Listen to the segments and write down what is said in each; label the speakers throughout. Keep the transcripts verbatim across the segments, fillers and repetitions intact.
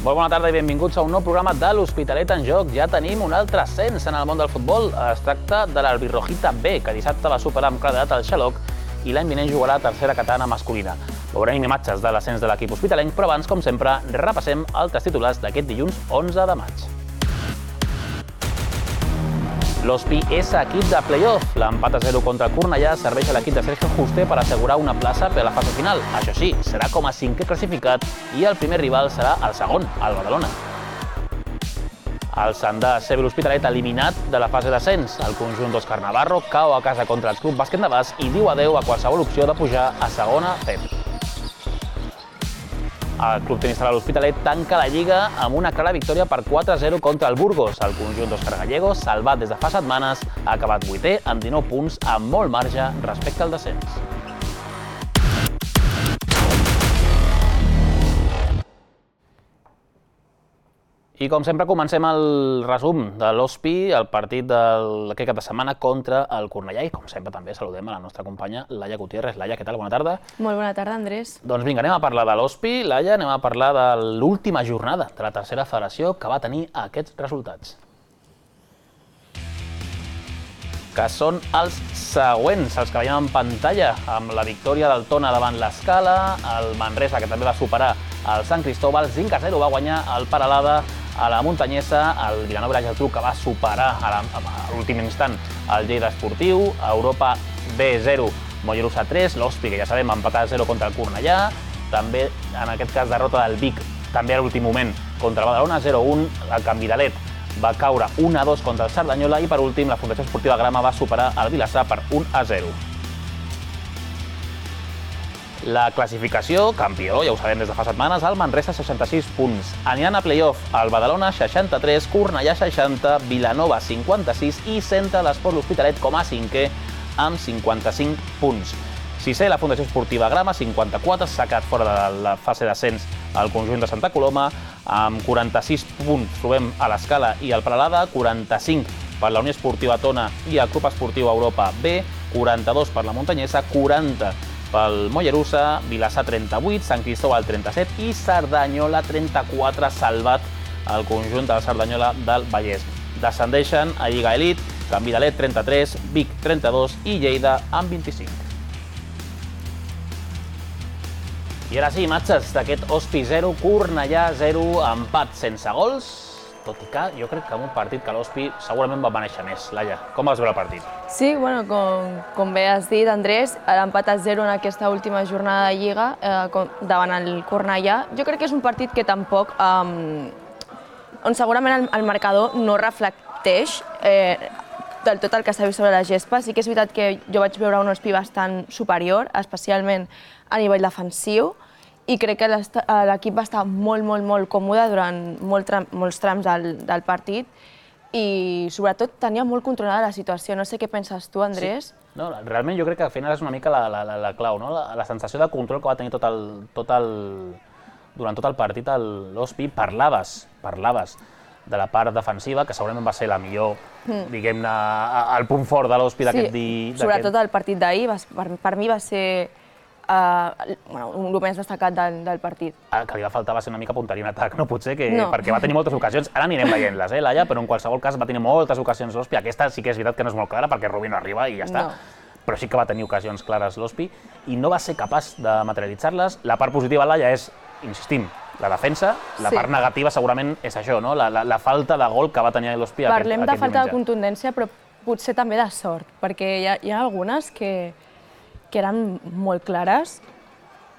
Speaker 1: Molt bona tarda i benvinguts a un nou programa de l'Hospitalet en Joc. Ja tenim un altre ascens en el món del futbol. Es tracta de l'Albirrojita B, que dissabte va superar amb claredat el Xaloc i l'any vinent jugarà a tercera catalana masculina. Veurem imatges de l'ascens de l'equip hospitalenc, però abans, com sempre, repassem altres titulars d'aquest dilluns onze de maig. L'Hospi és equip de play-off. L'empat a zero contra el Cornellà serveix a l'equip de Sergio Juste per assegurar una plaça per a la fase final. Això sí, serà com a cinquè classificat i el primer rival serà el segon, el Badalona. El Sant de C B l'Hospitalet eliminat de la fase d'ascens. El conjunt d'Òscar Navarro cau a casa contra el Club Bàsquet Navàs i diu adeu a qualsevol opció de pujar a segona C B. El Club Tenista de l'Hospitalet tanca la Lliga amb una clara victòria per quatre a zero contra el Burgos. El conjunt d'Òscar Gallego, salvat des de fa setmanes, ha acabat vuitè amb dinou punts, amb molt marge respecte al descens. I com sempre comencem el resum de l'Hospi, el partit d'aquest cap de setmana contra el Cornellà. I com sempre també saludem a la nostra companya Laia Gutiérrez. Laia, què tal? Bona tarda.
Speaker 2: Molt bona tarda, Andrés.
Speaker 1: Doncs vinga, anem a parlar de l'Hospi. Laia, anem a parlar de l'última jornada de la tercera federació que va tenir aquests resultats. Que són els següents, els que veiem en pantalla, amb la victòria del Tona davant l'Escala, el Manresa, que també va superar el Sant Cristóbal, cinc a zero va guanyar el Peralada a la Muntanyesa, el Vilanova i la Geltrú, que va superar a l'últim instant el Lleida Esportiu, Europa B zero, Mollerussa tres, l'Hospi, que ja sabem, empatar a zero contra el Cornellà, també, en aquest cas, derrota del Vic, també a l'últim moment, contra el Badalona, zero a un, el Canvidalet va caure un a dos contra el Cerdanyola i, per últim, la Fundació Esportiva Grama va superar el Vilassar per un a zero. La classificació, campió, ja ho sabem des de fa setmanes, el Manresa seixanta-sis punts. Aniran a play-off el Badalona seixanta-tres, Cornellà seixanta, Vilanova cinquanta-sis i centra l'Esport l'Hospitalet com a cinquè amb cinquanta-cinc punts. Sisè, la Fundació Esportiva Grama, cinquanta-quatre, s'ha quedat fora de la fase d'ascens al conjunt de Santa Coloma, amb quaranta-sis punts trobem a l'Escala i al Peralada, quaranta-cinc per la Unió Esportiva Tona i el Club Esportiu Europa B, quaranta-dos per la Muntanyesa, quaranta pel Mollerussa, Vilassar trenta-vuit, Sant Cristóbal trenta-set i Cerdanyola trenta-quatre, salvat el conjunt del Cerdanyola del Vallès. Descendeixen a Lliga Elit, Canvidalet trenta-tres, Vic trenta-dos i Lleida amb vint-i-cinc. I ara sí, imatges d'aquest Hospi zero, Cornellà zero, empat sense gols, tot i que jo crec que en un partit que l'Hospi segurament va mereixer més. Laia, com vas veure el partit?
Speaker 2: Sí, bueno, com, com bé has dit, Andrés, l'empat a zero en aquesta última jornada de Lliga eh, davant el Cornellà, jo crec que és un partit que tampoc, eh, on segurament el, el marcador no reflecteix eh, del tot el que s'ha vist sobre la gespa. Sí que és veritat que jo vaig veure un Hospi bastant superior, especialment a nivell defensiu, i crec que l'equip va estar molt, molt, molt còmode durant molt tram, molts trams del, del partit i, sobretot, tenia molt controlada la situació. No sé què penses tu, Andrés?
Speaker 1: Sí. No, realment jo crec que al final és una mica la, la, la clau, no? La, la sensació de control que va tenir tot el, tot el, durant tot el partit l'Hospi. Parlaves, parlaves de la part defensiva, que segurament va ser la millor, mm. diguem-ne, el punt fort de l'Hospi d'aquest dia.
Speaker 2: Sí, sobretot el partit d'ahir, per, per mi va ser Uh, bueno, el més destacat del, del partit.
Speaker 1: El que li va faltar va ser una mica punteria en atac, no? Potser que, no. Perquè va tenir moltes ocasions, ara anirem veient-les, eh, Laia, però en qualsevol cas va tenir moltes ocasions l'Hospi. Aquesta sí que és veritat que no és molt clara perquè Rubí no arriba i ja està, no. Però sí que va tenir ocasions clares l'Hospi i no va ser capaç de materialitzar-les. La part positiva, Laia, és, insistim, la defensa, la sí. part negativa segurament és això, no? La, la, la falta de gol que va tenir l'Hospi aquest,
Speaker 2: Parlem
Speaker 1: aquest
Speaker 2: de falta
Speaker 1: diumenge.
Speaker 2: de contundència, però potser també de sort, perquè hi ha, hi ha algunes que que eren molt clares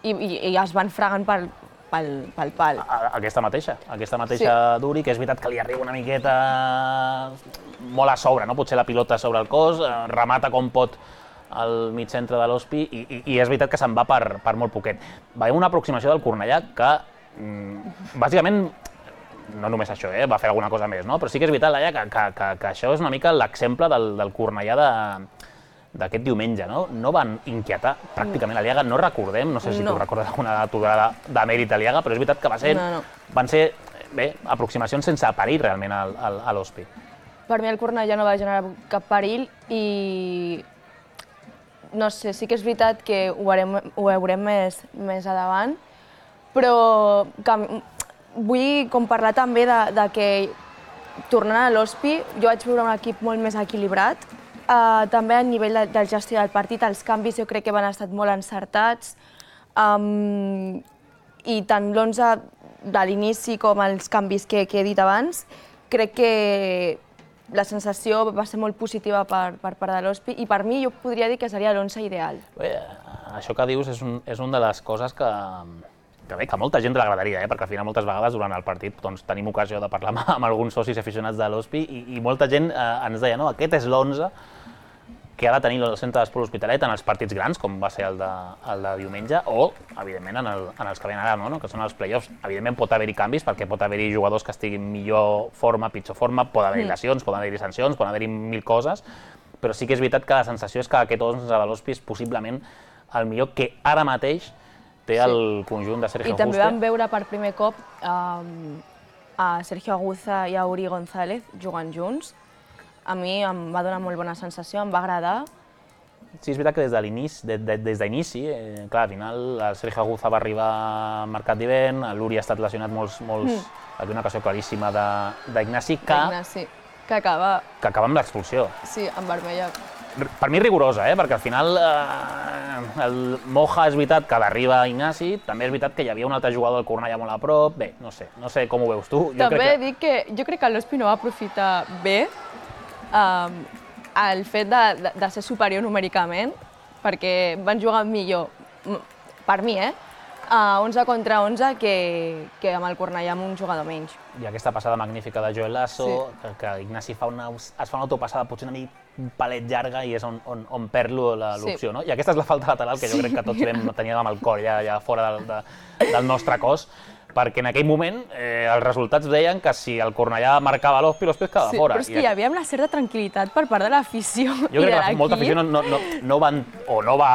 Speaker 2: i, i, i es van fregant pel, pel, pel pal.
Speaker 1: Aquesta mateixa, aquesta mateixa sí. Duri, que és veritat que li arriba una miqueta molt a sobre, no? Potser la pilota sobre el cos, remata com pot al mig centre de l'Hospi i, i, i és veritat que se'n va per, per molt poquet. Veiem una aproximació del Cornellà que, mm, bàsicament, no només això, eh? Va fer alguna cosa més, no? Però sí que és veritat, Laia, que, que, que, que això és una mica l'exemple del, del Cornellà de d'aquest diumenge, no? No van inquietar pràcticament a l'Iaga, no recordem, no sé si no. tu recordes alguna aturada de mèrit a l'Iaga, però és veritat que va ser, no, no. van ser bé, aproximacions sense perill realment a l'Hospi.
Speaker 2: Per mi el Cornellà no va generar cap perill i no sé, sí que és veritat que ho veurem, ho veurem més, més a davant, però que vull com parlar també de, de que, tornant a l'Hospi, jo vaig veure un equip molt més equilibrat. Uh, també a nivell de, del gestió del partit, els canvis jo crec que van estar molt encertats. Um, I tant l'onze de l'inici com els canvis que, que he dit abans, crec que la sensació va ser molt positiva per, per part de l'Hospi i per mi jo podria dir que seria l'onze ideal.
Speaker 1: Bé, això que dius és, un, és una de les coses que, que, bé, que a molta gent l'agradaria, eh? Perquè al final moltes vegades durant el partit doncs, tenim ocasió de parlar amb, amb alguns socis aficionats de l'Hospi i, i molta gent eh, ens deia no, aquest és l'onze que ha de tenir el centre d'esport L'Hospitalet en els partits grans, com va ser el de, el de diumenge, o, evidentment, en, el, en els que venen ara, no? Que són els play-offs. Evidentment pot haver-hi canvis, perquè pot haver-hi jugadors que estiguin en millor forma, pitjor forma, pot haver-hi lesions, poden haver-hi sancions, poden haver-hi mil coses, però sí que és veritat que la sensació és que aquest onze de l'Hospi és possiblement el millor que ara mateix té el sí. conjunt de Sergio Aguza.
Speaker 2: I també vam veure per primer cop um, a Sergio Aguza i a Uri González jugant junts. A mi em va donar molt bona sensació, em va agradar.
Speaker 1: Sí, és veritat que des de l'inici, de, de, des d'inici, eh, clar, al final el Sergio Aguza va arribar marcat d'hivern, l'Uri ha estat lesionat molts, molts, mm. Havia una ocasió claríssima d'Ignasi que,
Speaker 2: que acaba...
Speaker 1: que acaba amb l'expulsió.
Speaker 2: Sí, amb vermella.
Speaker 1: Per mi rigorosa, eh, perquè al final eh, el Moja és veritat que l'arriba Ignasi, també és veritat que hi havia un altre jugador del Cornellà molt a prop, bé, no sé, no sé com ho veus tu. Jo
Speaker 2: també
Speaker 1: crec que...
Speaker 2: dic que jo crec que l'Hospi no va aprofitar bé Um, el fet de, de, de ser superior numèricament, perquè van jugar millor, per mi, eh? Uh, onze contra onze que, que amb el Cornellà amb un jugador menys.
Speaker 1: I aquesta passada magnífica de Joel Lasso, sí. que, que Ignasi fa una, es fa una autopassada potser una mica un palet llarga i és on, on, on perd l'opció, sí. No? I aquesta és la falta lateral que jo crec que tots vam, teníem amb el cor ja, ja fora del, de, del nostre cos, perquè en aquell moment eh, els resultats deien que si el Cornellà marcava l'Hospi, l'Hospi es quedava
Speaker 2: sí,
Speaker 1: fora.
Speaker 2: Però és que hi havia una certa tranquil·litat per part de l'afició i de l'equip.
Speaker 1: Jo crec que molta afició no, no, no, no, van, o no, va,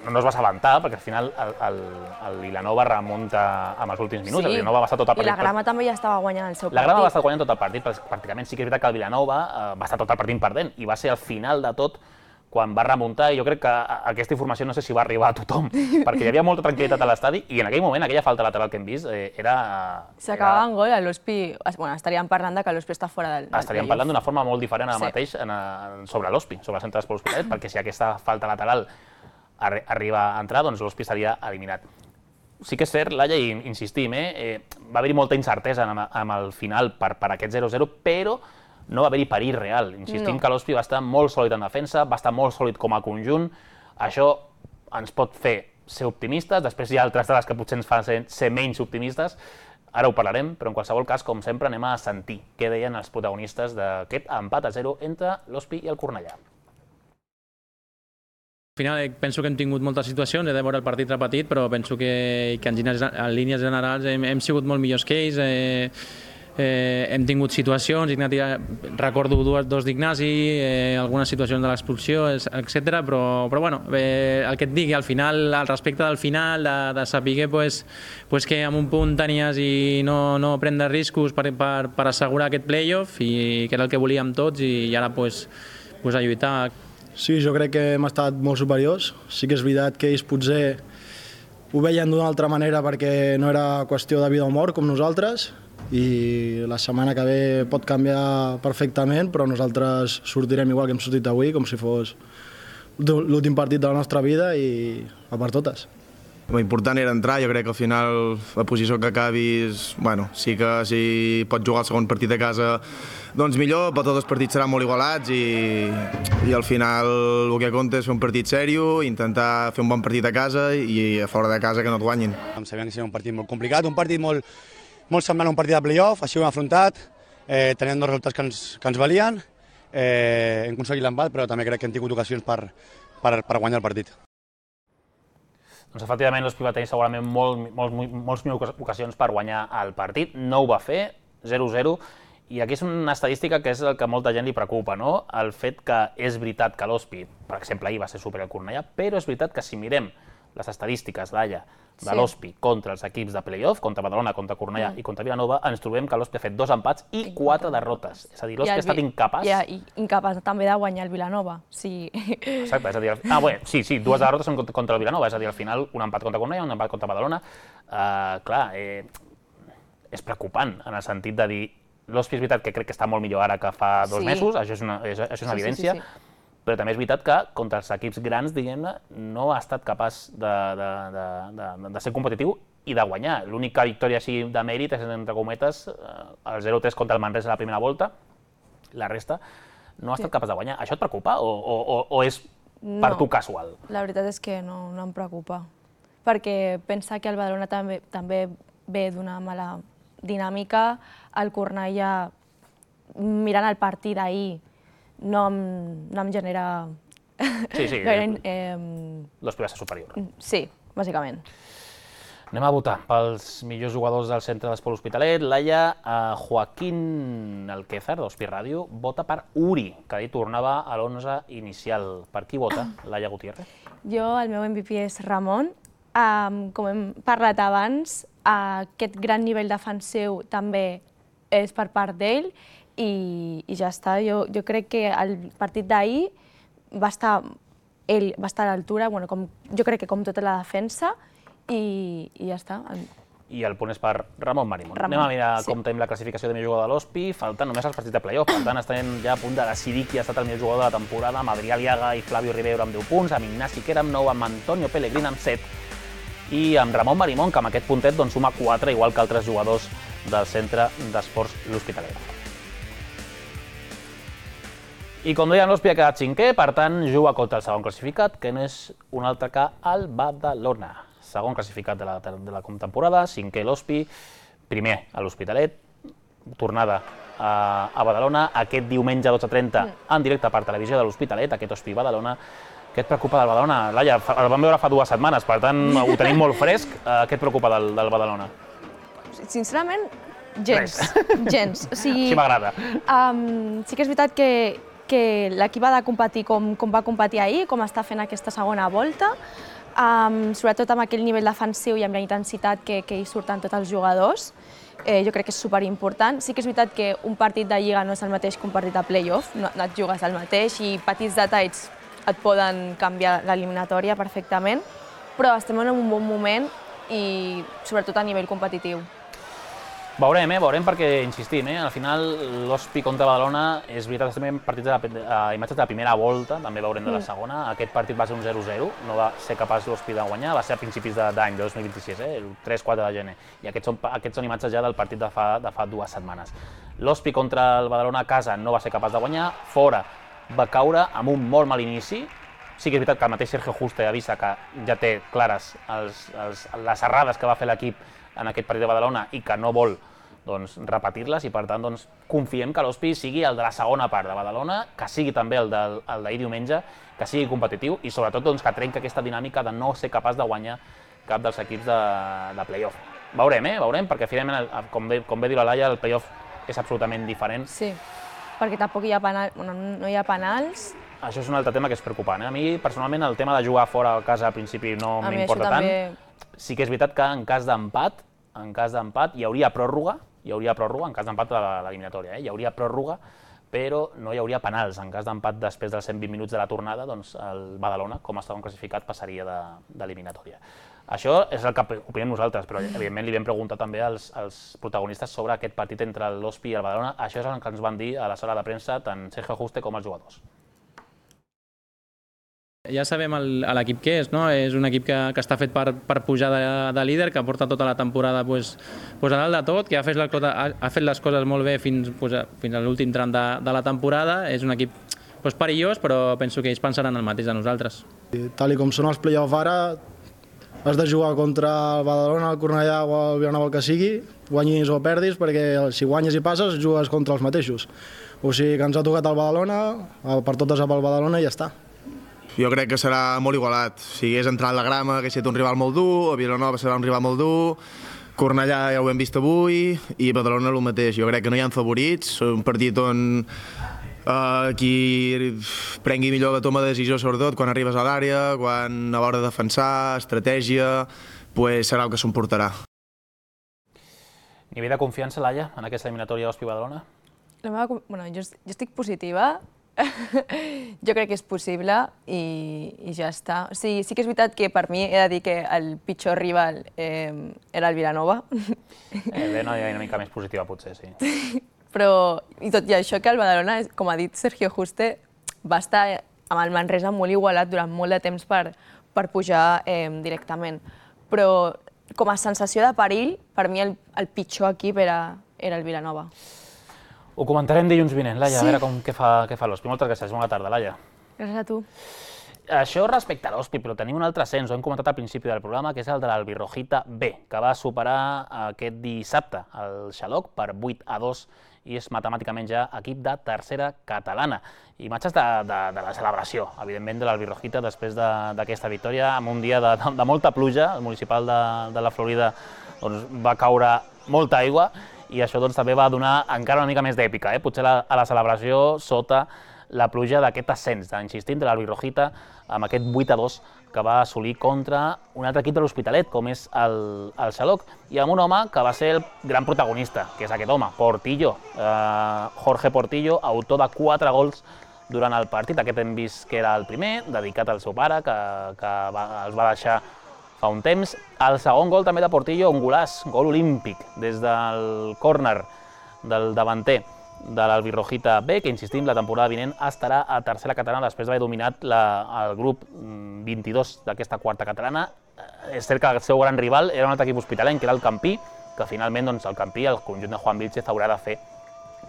Speaker 1: no, no es va assabentar, perquè al final el, el, el Vilanova remunta amb els últims minuts, sí. El Vilanova va estar tot el partit.
Speaker 2: I la Grama també ja estava guanyant el seu partit.
Speaker 1: La Grama va estar guanyant tot el partit, pràcticament sí que és veritat que el Vilanova eh, va estar tot el partit perdent, i va ser al final de tot quan va remuntar, i jo crec que aquesta informació no sé si va arribar a tothom, perquè hi havia molta tranquil·litat a l'estadi, i en aquell moment, aquella falta lateral que hem vist, eh, era...
Speaker 2: S'acabava en gol, l'Hospi... Bueno, estaríem parlant de que l'Hospi està fora del...
Speaker 1: Estaríem parlant d'una forma molt diferent ara sí. mateix en, sobre l'Hospi, sobre el centre d'esport L'Hospitalet, perquè si aquesta falta lateral arri arriba a entrar, doncs l'Hospi estaria eliminat. Sí que és cert, Laia, i insistim, eh, eh, va haver-hi molta incertesa amb, amb el final per, per aquest zero zero, però no va haver-hi perill real. Insistim no. que l'Hospi va estar molt sòlid en defensa, va estar molt sòlid com a conjunt. Això ens pot fer ser optimistes, després hi ha altres dades que potser ens fan ser, ser menys optimistes, ara ho parlarem, però en qualsevol cas, com sempre, anem a sentir què deien els protagonistes d'aquest empat a zero entre l'Hospi i el Cornellà.
Speaker 3: Al final penso que hem tingut moltes situacions, he de veure el partit repetit, però penso que, que en, en línies generals hem, hem sigut molt millors que ells. Eh, Eh, hem tingut situacions, Ignasi, recordo dues, dos d'Ignasi, eh, algunes situacions de l'expulsió, etcètera. Però, però bueno, eh, el que et digui, al final, al respecte del final, de, de saber pues, pues que amb un punt tenies i no, no prendre riscos per, per, per assegurar aquest playoff, i que era el que volíem tots, i, i ara pues, pues a lluitar.
Speaker 4: Sí, jo crec que hem estat molt superiors. Sí que és veritat que ells potser ho veien d'una altra manera perquè no era qüestió de vida o mort com nosaltres, i la setmana que ve pot canviar perfectament, però nosaltres sortirem igual que hem sortit avui, com si fos l'últim partit de la nostra vida, i a per totes.
Speaker 5: L'important era entrar, jo crec que al final la posició que acabis, bueno, sí que si pots jugar el segon partit a casa, doncs millor, però tots els partits seran molt igualats, i, i al final el que compta és fer un partit sèrio, intentar fer un bon partit a casa i a fora de casa que no et guanyin.
Speaker 6: Sabíem que seria un partit molt complicat, un partit molt, molt semblant a un partit de playoff, així ho hem afrontat, eh, tenint dos resultats que ens, que ens valien, eh, hem aconseguit l'empat, però també crec que hem tingut ocasions per, per, per guanyar el partit.
Speaker 1: Doncs efectivament l'Hospi va tenir segurament molt, molt, molts millors ocasions per guanyar el partit, no ho va fer, zero zero, i aquí és una estadística que és el que a molta gent li preocupa, no? El fet que és veritat que l'Hospi, per exemple, ahir va ser superior al Cornellà, però és veritat que si mirem les estadístiques d'Alla, de l'Hospi contra els equips de playoff, contra Badalona, contra Cornellà i contra Vilanova, ens trobem que l'Hospi ha fet dos empats i quatre derrotes. És a dir, l'Hospi ha estat incapaç...
Speaker 2: Ja, i incapaç també de guanyar el Vilanova. Sí.
Speaker 1: Exacte, és a dir... Ah, bé, sí, sí, dues derrotes són contra el Vilanova, és a dir, al final un empat contra Cornellà, un empat contra Badalona. Uh, clar, eh, és preocupant, en el sentit de dir l'Hospi és veritat que crec que està molt millor ara que fa dos mesos, això és una evidència, però també és veritat que contra els equips grans, diguem-ne, no ha estat capaç de ser competitiu i de guanyar. L'única victòria així de mèrit és, entre cometes, el zero tres contra el Manresa a la primera volta, la resta no ha estat capaç de guanyar. Això et preocupa o és per tu casual?
Speaker 2: La veritat és que no em preocupa, perquè pensa que el Badalona també ve d'una mala dinàmica, el Cornellà, mirant el partit d'ahir, no em genera...
Speaker 1: Sí, sí, l'Hospi va ser superior.
Speaker 2: Sí, bàsicament.
Speaker 1: Anem a votar pels millors jugadors del centre d'Esport L'Hospitalet. Laia, Joaquín Alquézar, d'Hospi Ràdio, vota per Uri, que ahir tornava a l'onze inicial. Per qui vota, Laia Gutiérrez?
Speaker 2: Jo, el meu M V P és Ramon. Com hem parlat abans, aquest gran nivell defensiu també és per part d'ell i ja està. Jo crec que el partit d'ahir va estar, ell va estar a l'altura, jo crec que com tota la defensa, i ja està.
Speaker 1: I el punt és per Ramon Marimon. Anem a mirar com tenim la classificació de millor jugador de l'Hospi, falten només els partits de play-off, per tant estem ja a punt de decidir qui ha estat el millor jugador de la temporada, amb Adrià Aliaga i Flavio Ribeiro amb deu punts, amb Ignasi Quera amb nou, amb Antonio Pellegrin amb set, i amb Ramon Marimon, que amb aquest puntet suma quatre, igual que altres jugadors del centre d'Esports L'Hospitalet. I com dèiem, l'Hospi ha quedat cinquè, per tant juga contra el segon classificat, que no és un altre que el Badalona. Segon classificat de la temporada, cinquè l'Hospi, primer a l'Hospitalet, tornada a Badalona, aquest diumenge a dotze trenta en directe per televisió de l'Hospitalet, aquest Hospi Badalona. Què et preocupa del Badalona? Laia, el vam veure fa dues setmanes, per tant ho tenim molt fresc. Què et preocupa del Badalona?
Speaker 2: Sincerament, gens. Gens.
Speaker 1: Així m'agrada.
Speaker 2: Sí que és veritat que l'equip ha de competir com va competir ahir, com està fent aquesta segona volta, sobretot amb aquell nivell defensiu i amb la intensitat que hi surten tots els jugadors. Jo crec que és superimportant. Sí que és veritat que un partit de Lliga no és el mateix que un partit de play-off, no et jugues el mateix i petits detalls et poden canviar l'eliminatòria perfectament, però estem en un bon moment i sobretot a nivell competitiu.
Speaker 1: Veurem, eh? Veurem perquè, insistim, al final l'Hospi contra Badalona és veritat, estem en partits imatges de la primera volta, també veurem de la segona. Aquest partit va ser un zero zero, no va ser capaç l'Hospi de guanyar, va ser a principis d'any, de dos mil vint-i-sis, el tres quatre de gener. I aquests són imatges ja del partit de fa dues setmanes. L'Hospi contra el Badalona a casa no va ser capaç de guanyar, fora va caure amb un molt mal inici. Sí que és veritat que el mateix Sergio Juste avisa que ja té clares les errades que va fer l'equip en aquest partit de Badalona i que no vol repetir-les i per tant confiem que l'Hospi sigui el de la segona part de Badalona, que sigui també el d'ahir diumenge, que sigui competitiu i sobretot que trenqui aquesta dinàmica de no ser capaç de guanyar cap dels equips de play-off. Veurem, eh? Veurem, perquè finalment, com bé diu la Laia, el play-off és absolutament diferent.
Speaker 2: Sí, perquè tampoc no hi ha penals.
Speaker 1: Això és un altre tema que és preocupant. A mi, personalment, el tema de jugar fora a casa al principi no m'importa tant. Sí que és veritat que en cas d'empat, en cas d'empat hi hauria pròrroga, hi hauria pròrroga, en cas d'empat de l'eliminatòria, hi hauria pròrroga, però no hi hauria penals. En cas d'empat després dels cent vint minuts de la tornada, doncs el Badalona, com a segon classificat, passaria d'eliminatòria. Això és el que opinem nosaltres, però evidentment li vam preguntar també als protagonistes sobre aquest partit entre l'Hospi i el Badalona. Això és el que ens van dir a la sala de premsa tant Sergio Juste com els jugadors.
Speaker 3: Ja sabem l'equip que és, és un equip que està fet per pujar de líder, que porta tota la temporada a dalt de tot, que ha fet les coses molt bé fins a l'últim tram de la temporada. És un equip perillós, però penso que ells pensaran el mateix de nosaltres.
Speaker 4: Tal com són els play-off ara, has de jugar contra el Badalona, el Cornellà o el Vilanova, el que sigui, guanyis o perdis, perquè si guanyes i passes, jugues contra els mateixos. O sigui que ens ha tocat el Badalona, per totes amb el Badalona i ja està.
Speaker 5: Jo crec que serà molt igualat. Si hagués entrat la grama, hagués estat un rival molt dur, el Vilanova serà un rival molt dur, Cornellà ja ho hem vist avui, i Badalona el mateix. Jo crec que no hi ha favorits, és un partit on qui prengui millor la toma de decisió, sobretot quan arribes a l'àrea, quan a l'hora de defensar, estratègia, serà el que s'emportarà.
Speaker 1: Nivell de confiança, Laia, en aquesta eliminatòria Hospi Badalona?
Speaker 2: Jo estic positiva. Jo crec que és possible i ja està. Sí que és veritat que per mi he de dir que el pitjor rival era el Vilanova.
Speaker 1: Bé, no hi ha una mica més positiva, potser, sí.
Speaker 2: Però, i tot i això, que el Badalona, com ha dit Sergio Juste, va estar amb el Manresa molt igualat durant molt de temps per pujar directament. Però, com a sensació de perill, per mi el pitjor equip era el Vilanova.
Speaker 1: Ho comentarem dilluns vinent, Laia, a veure què fa l'Ospi. Moltes gràcies, bona tarda, Laia.
Speaker 2: Gràcies a tu.
Speaker 1: Això respecte a l'Ospi, però tenim un altre ascens, ho hem comentat al principi del programa, que és el de l'Albirrojita B, que va superar aquest dissabte el Xaloc per vuit a dos i és matemàticament ja equip de tercera catalana. Imatges de la celebració, evidentment, de l'Albirrojita després d'aquesta victòria, amb un dia de molta pluja. El municipal de la Florida va caure molta aigua i això també va donar encara una mica més d'èpica, potser a la celebració sota la pluja d'aquest ascens, insistint, de l'Albirrojita amb aquest vuit a dos que va assolir contra un altre equip de l'Hospitalet, com és el Xaloc, i amb un home que va ser el gran protagonista, que és aquest home, Portillo, Jorge Portillo, autor de quatre gols durant el partit. Aquest hem vist que era el primer, dedicat al seu pare, que els va deixar fa un temps. El segon gol també de Portillo, un golàs, gol olímpic, des del córner del davanter de l'Albirrojita B, que, insistim, la temporada vinent estarà a tercera catalana després d'haver dominat el grup vint-i-dos d'aquesta quarta catalana. És cert que el seu gran rival era un altre equip hospitalenc, que era el Campí, que finalment el Campí, el conjunt de Juan Vilchez, haurà de fer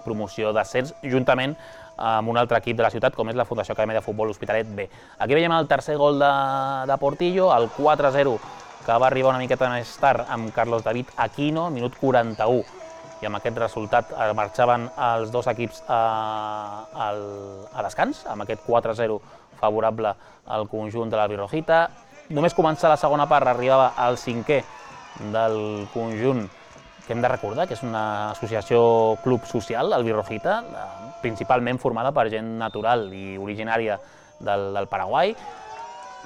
Speaker 1: promoció d'ascens, juntament amb un altre equip de la ciutat, com és la Fundació Acadèmia de Futbol Hospitalet B. Aquí veiem el tercer gol de Portillo, el quatre a zero, que va arribar una miqueta més tard amb Carlos David Aquino, minut quaranta-u, i amb aquest resultat marxaven els dos equips a descans, amb aquest quatre a zero favorable al conjunt de l'Albirrojita. Només començar la segona part arribava al cinquè del conjunt, que hem de recordar que és una associació club social, Albirrojita, principalment formada per gent natural i originària del Paraguai.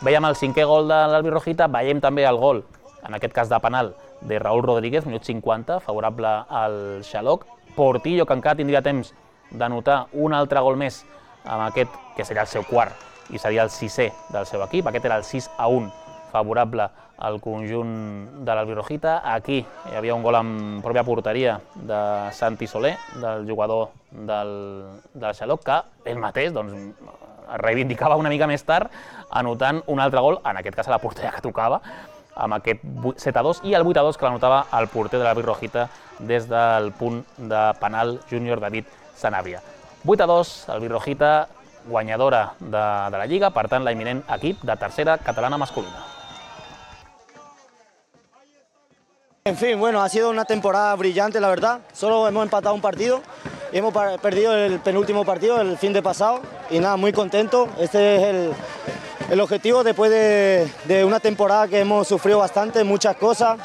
Speaker 1: Veiem el cinquè gol de l'Albirrojita, veiem també el gol, en aquest cas de penal, de Raúl Rodríguez, minut cinquanta, favorable al Xaloc. Portillo, que encara tindria temps d'anotar un altre gol més amb aquest, que seria el seu quart, i seria el sisè del seu equip. Aquest era el sis a un, favorable al conjunt de l'Albirrojita. Aquí hi havia un gol en pròpia porteria de Santi Soler, del jugador del Xaloc, que ell mateix es reivindicava una mica més tard, anotant un altre gol, en aquest cas a la porteria que tocava, amb aquest set a dos, i el vuit a dos que l'anotava el porter de l'Albirrojita des del punt de penal júnior David Sanabria. vuit a dos, l'Albirrojita guanyadora de la Lliga, per tant, la imminent equip de tercera catalana masculina.
Speaker 7: En fin, bueno, ha sido una temporada brillante, la verdad. Solo hemos empatado un partido y hemos perdido el penúltimo partido el fin de pasado. Y nada, muy contento. Este es el, el objetivo después de, de una temporada que hemos sufrido bastante, muchas cosas,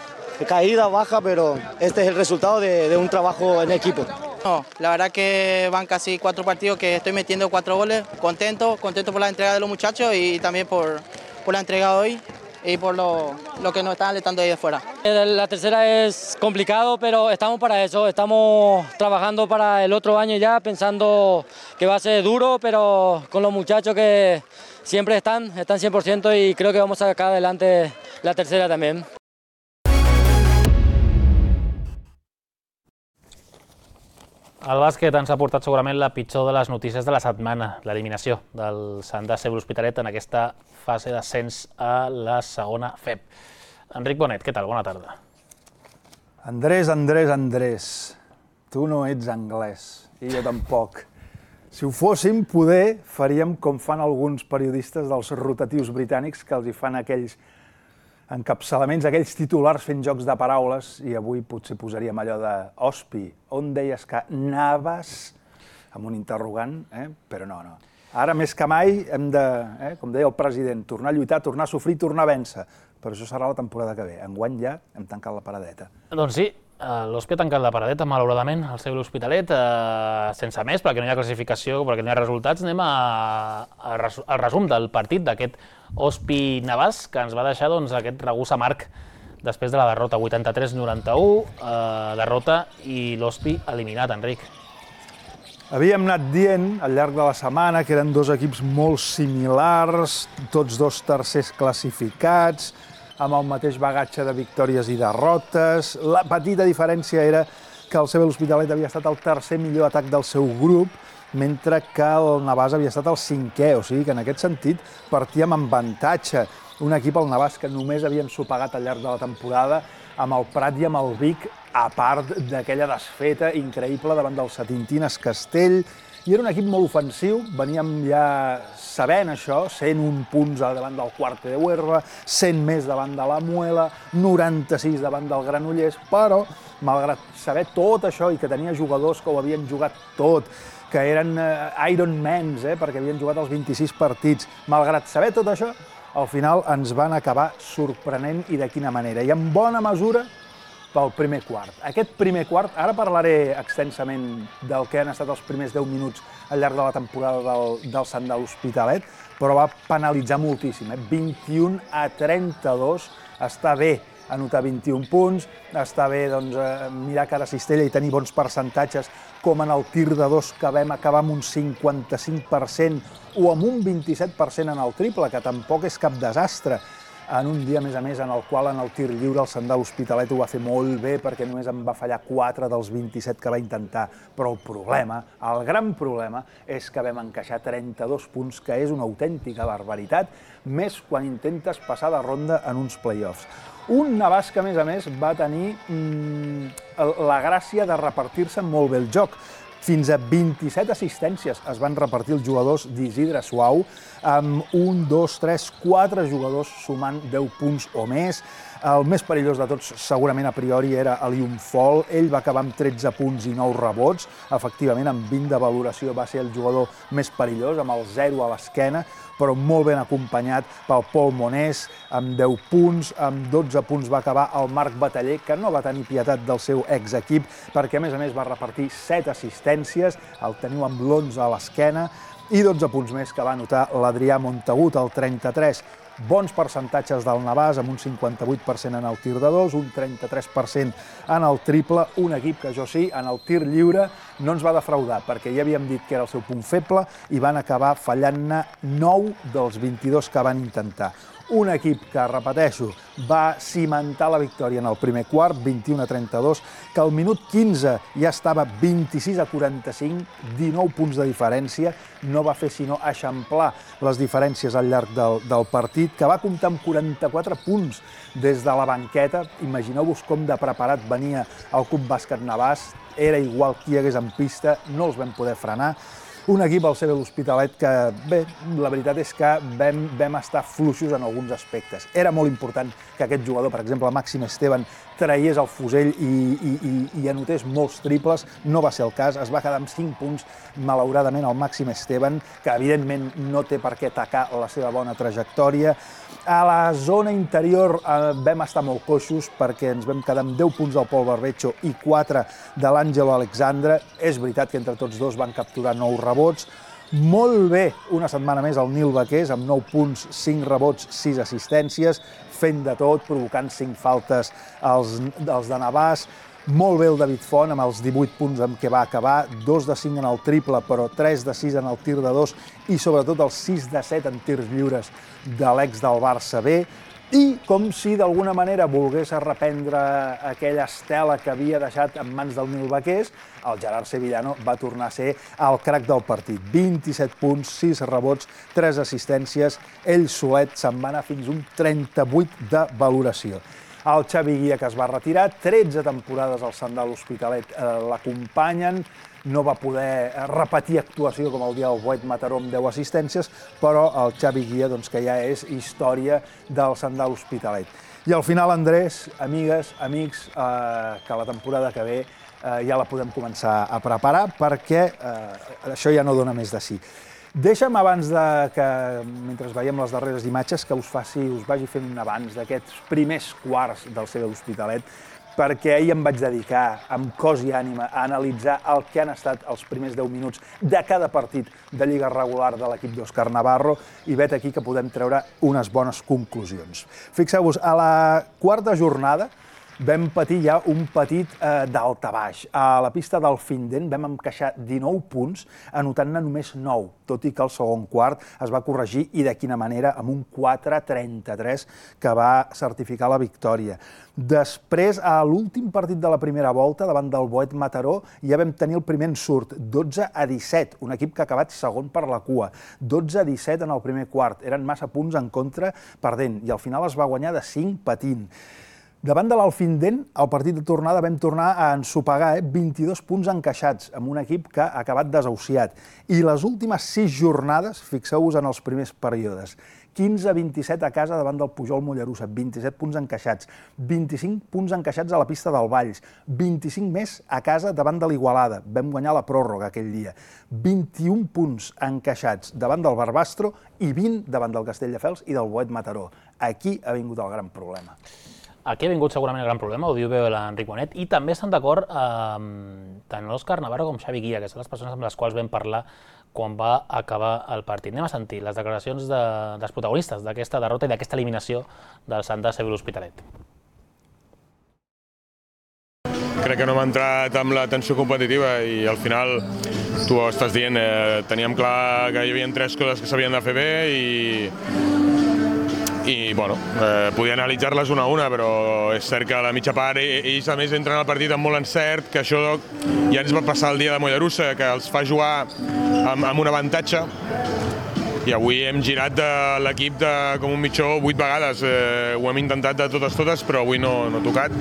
Speaker 7: caída, baja, pero este es el resultado de, de un trabajo en equipo.
Speaker 8: No, la verdad que van casi cuatro partidos que estoy metiendo cuatro goles. Contento, contento por la entrega de los muchachos y también por, por la entrega de hoy y por lo, lo que nos están alentando ahí de fuera.
Speaker 9: La tercera es complicado, pero estamos para eso, estamos trabajando para el otro año ya, pensando que va a ser duro, pero con los muchachos que siempre están, están cien por ciento y creo que vamos a sacar adelante la tercera también.
Speaker 1: El bàsquet ens ha portat segurament la pitjor de les notícies de la setmana, l'eliminació del Sant Daceu l'Hospitalet en aquesta fase d'ascens a la segona F E P. Enric Bonet, què tal? Bona tarda.
Speaker 10: Andrés, Andrés, Andrés, tu no ets anglès, i jo tampoc. Si ho fóssim, poder faríem com fan alguns periodistes dels rotatius britànics que els hi fan aquells encapçalaments, aquells titulars fent jocs de paraules, i avui potser posaríem allò de Ospi, on deies que anaves? Amb un interrogant, però no, no. Ara més que mai hem de, com deia el president, tornar a lluitar, tornar a sofrir, tornar a vèncer. Però això serà la temporada que ve. Enguany ja hem tancat la paradeta.
Speaker 1: Doncs sí, l'Ospi ha tancat la paradeta, malauradament, al seu l'Hospitalet, sense més, perquè no hi ha classificació, perquè no hi ha resultats. Anem al resum del partit d'aquest Ospi Navàs, que ens va deixar aquest regús amarg després de la derrota vuitanta-tres noranta-u, derrota i l'Ospi eliminat, Enric.
Speaker 10: Havíem anat dient al llarg de la setmana que eren dos equips molt similars, tots dos tercers classificats, amb el mateix bagatge de victòries i derrotes. La petita diferència era que el C B l'Hospitalet havia estat el tercer millor atac del seu grup, mentre que el Navàs havia estat el cinquè, o sigui que en aquest sentit partíem amb avantatge. Un equip, el Navàs, que només havia ensopegat al llarg de la temporada amb el Prat i amb el Vic, a part d'aquella desfeta increïble davant del Setintines Castell. I era un equip molt ofensiu, veníem ja sabent això, cent un punts davant del Cuarte de Huerva, cent més davant de la Muela, noranta-sis davant del Granollers, però, malgrat saber tot això i que tenia jugadors que ho havien jugat tot, que eren Ironmans, eh, perquè havien jugat els vint-i-sis partits, malgrat saber tot això, al final ens van acabar sorprenent i de quina manera. I en bona mesura pel primer quart. Aquest primer quart, ara parlaré extensament del que han estat els primers deu minuts al llarg de la temporada del, del Sant de l'Hospitalet, però va penalitzar moltíssim. Eh? vint-i-un a trenta-dos, està bé anotar vint-i-un punts, està bé doncs, mirar cara a cistella i tenir bons percentatges, com en el tir de dos que vam acabar amb un cinquanta-cinc per cent o amb un vint-i-set per cent en el triple, que tampoc és cap desastre, en un dia, a més a més, en el qual en el tir lliure el Sant de l'Hospitalet ho va fer molt bé perquè només en va fallar quatre dels vint-i-set que va intentar. Però el problema, el gran problema, és que vam encaixar trenta-dos punts, que és una autèntica barbaritat, més quan intentes passar de ronda en uns play-offs. Un Navàs que, a més a més, va tenir mmm, la gràcia de repartir-se molt bé el joc. Fins a vint-i-set assistències es van repartir els jugadors d'Isidre Suau, amb un, dos, tres, quatre jugadors sumant deu punts o més. El més perillós de tots, segurament a priori, era Elium Fall. Ell va acabar amb tretze punts i nou rebots. Efectivament, amb vint de valoració va ser el jugador més perillós, amb el zero a l'esquena, però molt ben acompanyat pel Pol Monés, amb deu punts, amb dotze punts va acabar el Marc Bataller, que no va tenir pietat del seu exequip, perquè a més a més va repartir set assistències, el teniu amb l'onze a l'esquena, i dotze punts més que va anotar l'Adrià Montagut, el trenta-tres. Bons percentatges del Navàs, amb un cinquanta-vuit per cent en el tir de dos, un trenta-tres per cent en el triple, un equip que, això sí, en el tir lliure no ens va defraudar, perquè ja havíem dit que era el seu punt feble i van acabar fallant-ne nou dels vint-i-dos que van intentar. Un equip que, repeteixo, va cimentar la victòria en el primer quart, vint-i-un a trenta-dos, que al minut quinze ja estava vint-i-sis a quaranta-cinc, dinou punts de diferència, no va fer sinó eixamplar les diferències al llarg del, del partit, que va comptar amb quaranta-quatre punts des de la banqueta. Imagineu-vos com de preparat venia el Club Bàsquet Navàs, era igual qui hi hagués en pista, no els vam poder frenar. Un equip, el C B l'Hospitalet, que, bé, la veritat és que vam, vam estar fluixos en alguns aspectes. Era molt important que aquest jugador, per exemple, Màxim Esteban, traiés el fusell i, i, i, i anotés molts triples. No va ser el cas, es va quedar amb cinc punts, malauradament, el Màxim Esteban, que evidentment no té per què tacar la seva bona trajectòria. A la zona interior eh, vam estar molt coixos perquè ens vam quedar amb deu punts del Pol Barbecho i quatre de l'Àngelo Alexandre. És veritat que entre tots dos van capturar nou rebots. Molt bé, una setmana més el Nil Baqués, amb nou punts, cinc rebots, sis assistències, fent de tot, provocant cinc faltes als, als de Navàs. Molt bé el David Font, amb els divuit punts amb què va acabar, dos de cinc en el triple, però tres de sis en el tir de dos i sobretot els sis de set en tirs lliures de l'ex del Barça B. I com si d'alguna manera volgués reprendre aquella estela que havia deixat en mans del Nil Baqués, el Gerard Sevillano va tornar a ser el crac del partit. vint-i-set punts, sis rebots, tres assistències, ell solet se'n va anar fins un trenta-vuit de valoració. El Xavi Guia, que es va retirar, tretze temporades al Sant de l'Hospitalet eh, l'acompanyen, no va poder repetir actuació com el dia del Boet Mataró amb deu assistències, però el Xavi Guia, doncs, que ja és història del Sant de l'Hospitalet. I al final, Andrés, amigues, amics, eh, que la temporada que ve eh, ja la podem començar a preparar perquè eh, això ja no dona més de sí. Deixa'm, abans de que, mentre veiem les darreres imatges, que us faci, us vagi fent un abans d'aquests primers quarts del C B l'Hospitalet, perquè ahir em vaig dedicar, amb cos i ànima, a analitzar el que han estat els primers deu minuts de cada partit de lliga regular de l'equip d'Òscar Navarro, i vet aquí que podem treure unes bones conclusions. Fixeu-vos, a la quarta jornada, vam patir ja un petit eh, daltabaix. A la pista del Finden vam encaixar dinou punts, anotant-ne només nou, tot i que el segon quart es va corregir i de quina manera, amb un quatre trenta-tres que va certificar la victòria. Després, a l'últim partit de la primera volta, davant del Boet Mataró, ja vam tenir el primer ensurt, dotze a disset, un equip que ha acabat segon per la cua, dotze a disset en el primer quart, eren massa punts en contra perdent, i al final es va guanyar de cinc patint. Davant de l'Alfindent, al partit de tornada vam tornar a ensopegar eh? vint-i-dos punts encaixats, amb un equip que ha acabat desahuciat. I les últimes sis jornades, fixeu-vos en els primers períodes, quinze a vint-i-set a casa davant del Pujol Mollerussa, vint-i-set punts encaixats, vint-i-cinc punts encaixats a la pista del Valls, vint-i-cinc més a casa davant de l'Igualada, vam guanyar la pròrroga aquell dia, vint-i-un punts encaixats davant del Barbastro i vint davant del Castelldefels i del Boet Mataró. Aquí ha vingut el gran problema.
Speaker 1: Aquí ha vingut segurament el gran problema, ho diu bé l'Enric Bonet, i també estan d'acord eh, tant l'Òscar Navarro com Xavi Guilla, que són les persones amb les quals vam parlar quan va acabar el partit. Anem a sentir les declaracions de, dels protagonistes d'aquesta derrota i d'aquesta eliminació del Santa Seu l'Hospitalet.
Speaker 11: Crec que no hem entrat amb la tensió competitiva i al final, tu ho estàs dient, eh, teníem clar que hi havia tres coses que s'havien de fer bé i i bueno, eh, podia analitzar-les una a una, però és cert que a la mitja part ells a més entren al partit amb molt encert, que això ja ens va passar el dia de Mollerussa, que els fa jugar amb, amb un avantatge, i avui hem girat de l'equip com un mitjó vuit vegades, eh, ho hem intentat de totes totes, però avui no, no ha tocat.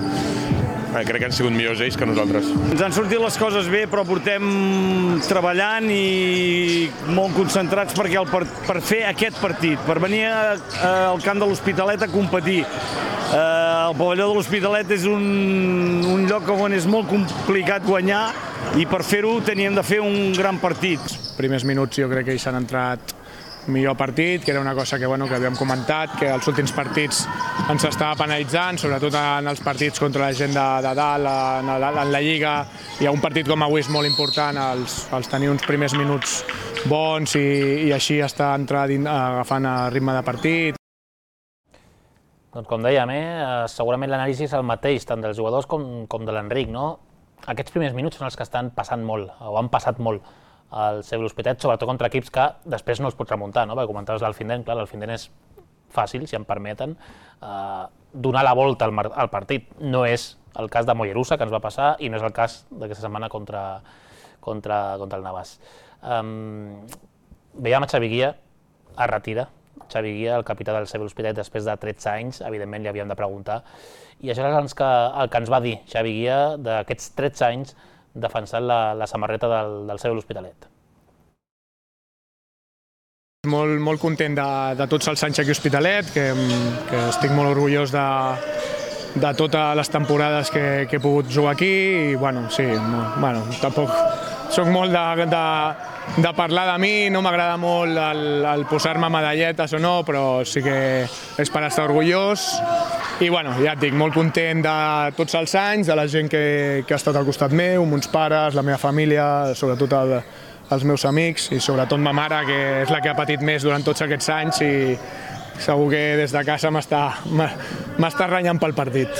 Speaker 11: Eh, crec que han sigut millors ells que nosaltres.
Speaker 12: Ens han sortit les coses bé, però portem treballant i molt concentrats perquè el, per, per fer aquest partit, per venir a, a, al camp de l'Hospitalet a competir. Eh, el pavelló de l'Hospitalet és un, un lloc on és molt complicat guanyar i per fer-ho teníem de fer un gran partit.
Speaker 13: Els primers minuts jo crec que ells s'han entrat millor partit, que era una cosa que, bueno, que havíem comentat, que els últims partits ens estava penalitzant, sobretot en els partits contra la gent de, de dalt, en la, en la Lliga. Hi ha un partit com avui és molt important, els, els tenir uns primers minuts bons i, i així estar entrar dins, agafant el ritme de partit.
Speaker 1: Doncs com dèiem, eh, segurament l'anàlisi és el mateix, tant dels jugadors com, com de l'Enric, no? Aquests primers minuts són els que estan passant molt, o han passat molt, al Seu l'Hospitalet, sobretot contra equips que després no els pots remuntar, no? Perquè comentaves l'Alfindent, clar, l'Alfindent és fàcil, si em permeten, eh, donar la volta al, al partit. No és el cas de Mollerussa, que ens va passar, i no és el cas d'aquesta setmana contra, contra, contra el Navàs. Um, veiem a Xavi Guilla, es retira. Xavi Guilla, el capità del Seu l'Hospitalet, després de tretze anys, evidentment li havíem de preguntar. I això és el que, el que ens va dir Xavi Guilla d'aquests tretze anys defensant la, la samarreta del, del Seu l'Hospitalet.
Speaker 13: Molt, molt content de, de tots els anys aquí a Hospitalet, que, que estic molt orgullós de, de totes les temporades que, que he pogut jugar aquí i, bueno, sí, bueno, tampoc soc molt de, de, de parlar de mi, no m'agrada molt el, el posar-me medalletes o no, però sí que és per estar orgullós. I bueno, ja et dic, molt content de tots els anys, de la gent que, que ha estat al costat meu, mons pares, la meva família, sobretot el, els meus amics i sobretot ma mare, que és la que ha patit més durant tots aquests anys i segur que des de casa m'està renyant pel partit.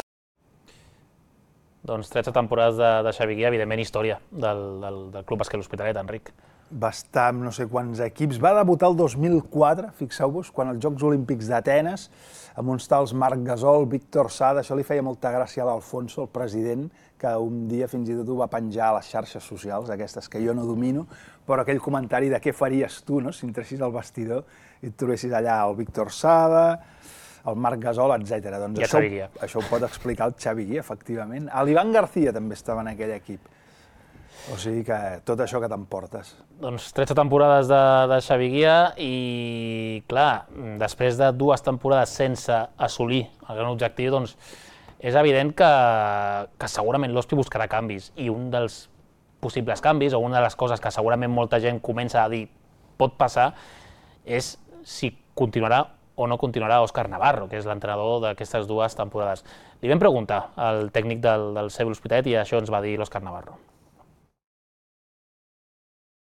Speaker 1: Doncs tretze temporades de, de Xavi Guilla, evidentment història del, del, del Club Bàsquet l'Hospitalet, Enric.
Speaker 10: Va estar amb no sé quants equips. Va debutar el dos mil quatre, fixeu-vos, quan els Jocs Olímpics d'Atenes, amb uns tals Marc Gasol, Víctor Sada, això li feia molta gràcia a l'Alfonso, el president, que un dia fins i tot ho va penjar a les xarxes socials, aquestes que jo no domino, però aquell comentari de què faries tu, no?, si entressis al vestidor i et trobessis allà el Víctor Sada, el Marc Gasol, etcètera. Doncs això, això ho pot explicar el Xavi Guilla, efectivament. L'Ivan García també estava en aquell equip. O sigui que tot això que t'emportes.
Speaker 1: Doncs tretze temporades de, de Xavi Guilla i, clar, després de dues temporades sense assolir el gran objectiu, doncs és evident que, que segurament l'Hospi buscarà canvis i un dels possibles canvis o una de les coses que segurament molta gent comença a dir pot passar és si continuarà o no continuarà Òscar Navarro, que és l'entrenador d'aquestes dues temporades. Li vam preguntar al tècnic del, del Seu l'Hospitalet i això ens va dir l'Òscar Navarro.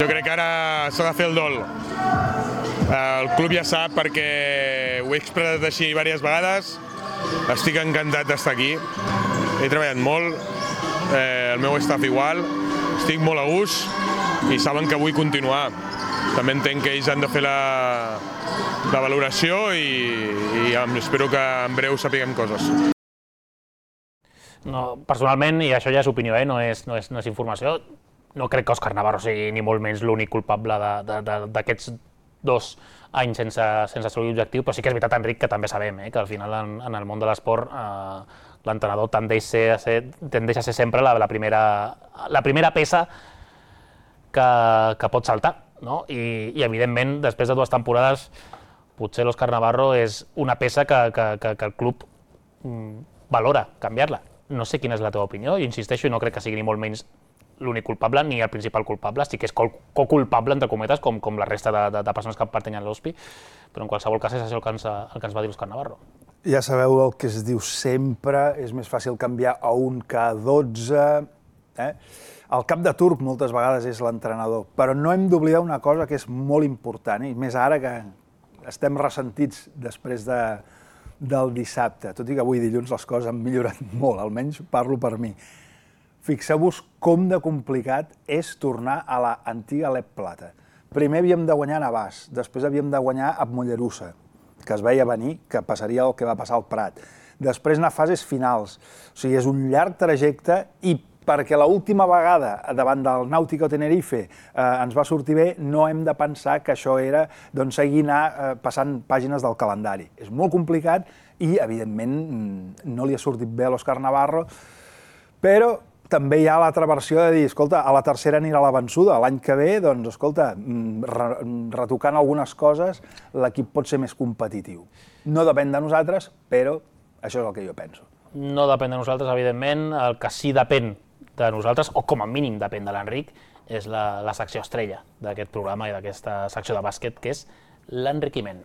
Speaker 11: Jo crec que ara s'ha de fer el dol. El club ja sap, perquè ho he expressat així diverses vegades, estic encantat d'estar aquí he treballat molt, el meu staff igual, estic molt a gust i saben que vull continuar. També entenc que ells han de fer la valoració i espero que en breu sapiguem coses.
Speaker 1: Personalment, i això ja és opinió, no és informació, no crec que Òscar Navarro sigui ni molt menys l'únic culpable d'aquests dos anys sense assolir l'objectiu, però sí que és veritat, Enric, que també sabem que al final en el món de l'esport l'entrenador tendeix a ser sempre la primera peça que pot saltar. I evidentment, després de dues temporades, potser l'Òscar Navarro és una peça que el club valora canviar-la. No sé quina és la teva opinió, i insisteixo, i no crec que sigui ni molt menys l'únic culpable ni el principal culpable, sí que és co-culpable, entre cometes, com la resta de persones que pertanyen a l'O S P I, però en qualsevol cas és això el que ens va dir l'Òscar Navarro.
Speaker 10: Ja sabeu el que es diu sempre, és més fàcil canviar a un que a dotze. El cap de turc moltes vegades és l'entrenador, però no hem d'oblidar una cosa que és molt important, i més ara que estem ressentits després del dissabte, tot i que avui dilluns les coses han millorat molt, almenys parlo per mi. Fixeu-vos com de complicat és tornar a l'antiga Lep Plata. Primer havíem de guanyar a Navàs, després havíem de guanyar a Mollerussa, que es veia venir que passaria el que va passar al Prat. Després anar a fases finals, o sigui, és un llarg trajecte i perquè l'última vegada davant del Nàutico Tenerife ens va sortir bé, no hem de pensar que això era seguir anar passant pàgines del calendari. És molt complicat i, evidentment, no li ha sortit bé a l'Òscar Navarro, però també hi ha l'altra versió de dir, escolta, a la tercera anirà la vençuda, l'any que ve, doncs, escolta, retocant algunes coses, l'equip pot ser més competitiu. No depèn de nosaltres, però això és el que jo penso.
Speaker 1: No depèn de nosaltres, evidentment, el que sí depèn de nosaltres, o com a mínim depèn de l'Enric, és la secció estrella d'aquest programa i d'aquesta secció de bàsquet, que és l'enriquiment.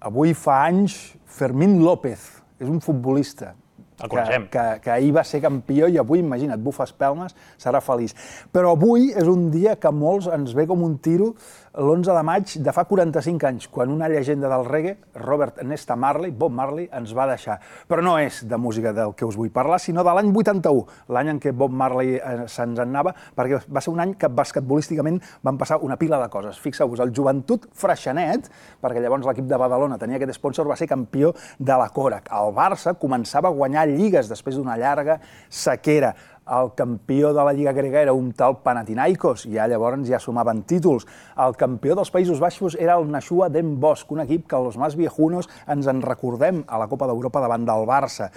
Speaker 10: Avui fa anys Fermín López, és un futbolista que ahir va ser campió i avui, imagina't, bufa espelmes, serà feliç. Però avui és un dia que a molts ens ve com un tiro l'onze de maig de fa quaranta-cinc anys, quan una llegenda del reggae, Robert Nesta Marley, Bob Marley, ens va deixar. Però no és de música del que us vull parlar, sinó de l'any vuitanta-u, l'any en què Bob Marley se'ns anava, perquè va ser un any que basquetbolísticament van passar una pila de coses. Fixeu-vos, el Joventut Freixenet, perquè llavors l'equip de Badalona tenia aquest sponsor, va ser campió de la Korak. El Barça començava a guanyar lligues després d'una llarga sequera. El campió de la Lliga grega era un tal Panathinaikos, ja llavors ja sumaven títols. El campió dels Països Baixos era el Nashua Den Bosch, un equip que els més viejunos ens en recordem a la Copa d'Europa davant del Barça.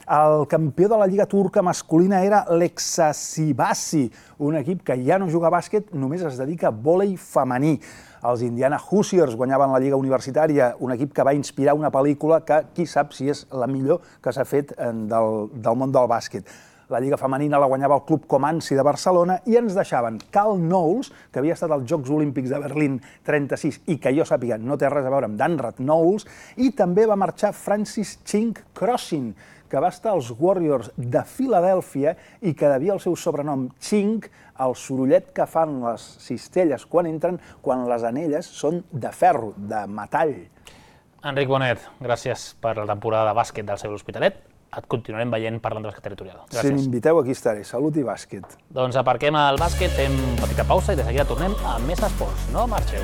Speaker 10: El campió de la Lliga turca masculina era l'Exasibasi, un equip que ja no juga a bàsquet, només es dedica a vòlei femení. Els Indiana Hoosiers guanyaven la Lliga Universitària, un equip que va inspirar una pel·lícula que qui sap si és la millor que s'ha fet del món del bàsquet. La Lliga Femenina la guanyava el Club Comanci de Barcelona i ens deixaven Cal Knowles, que havia estat als Jocs Olímpics de Berlín trenta-sis i que jo sàpiga no té res a veure amb Danrad Knowles, i també va marxar Francis Chink Crossin, que va estar als Warriors de Filadèlfia i que devia el seu sobrenom Chink al sorollet que fan les cistelles quan entren, quan les anelles són de ferro, de metall.
Speaker 1: Enric Bonet, gràcies per la temporada de bàsquet del seu L'Hospitalet. Et continuarem veient parlant de bàsquet territorial.
Speaker 10: Si m'inviteu, aquí estaré. Salut i bàsquet.
Speaker 1: Doncs aparquem el bàsquet, fem petita pausa i de seguida tornem a més esports. No marxeu.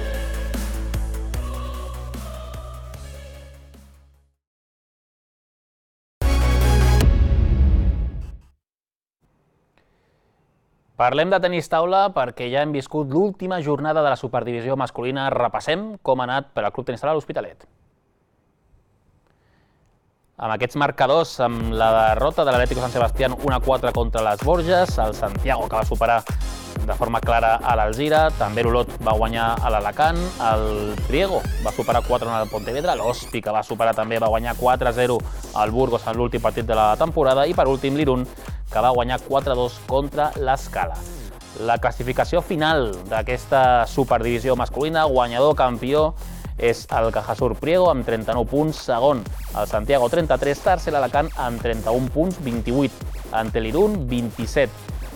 Speaker 1: Parlem de tenis taula perquè ja hem viscut l'última jornada de la superdivisió masculina. Repassem com ha anat per al Club Tenis Taula L'Hospitalet. Amb aquests marcadors, amb la derrota de l'Atlético San Sebastián un a quatre contra les Borges, el Santiago que va superar de forma clara a l'Alzira, també l'Olot va guanyar a l'Alacant, el Priego va superar quatre a una al Pontevedra, l'Ospi que va superar també va guanyar quatre a zero al Burgos en l'últim partit de la temporada i per últim l'Irun que va guanyar quatre a dos contra l'Escala. La classificació final d'aquesta superdivisió masculina, guanyador campió, és el Cajasur Priego amb trenta-nou punts, segon el Santiago trenta-tres, tercer l'Alacant amb trenta-un punts, vint-i-vuit ante l'Irun, vint-i-set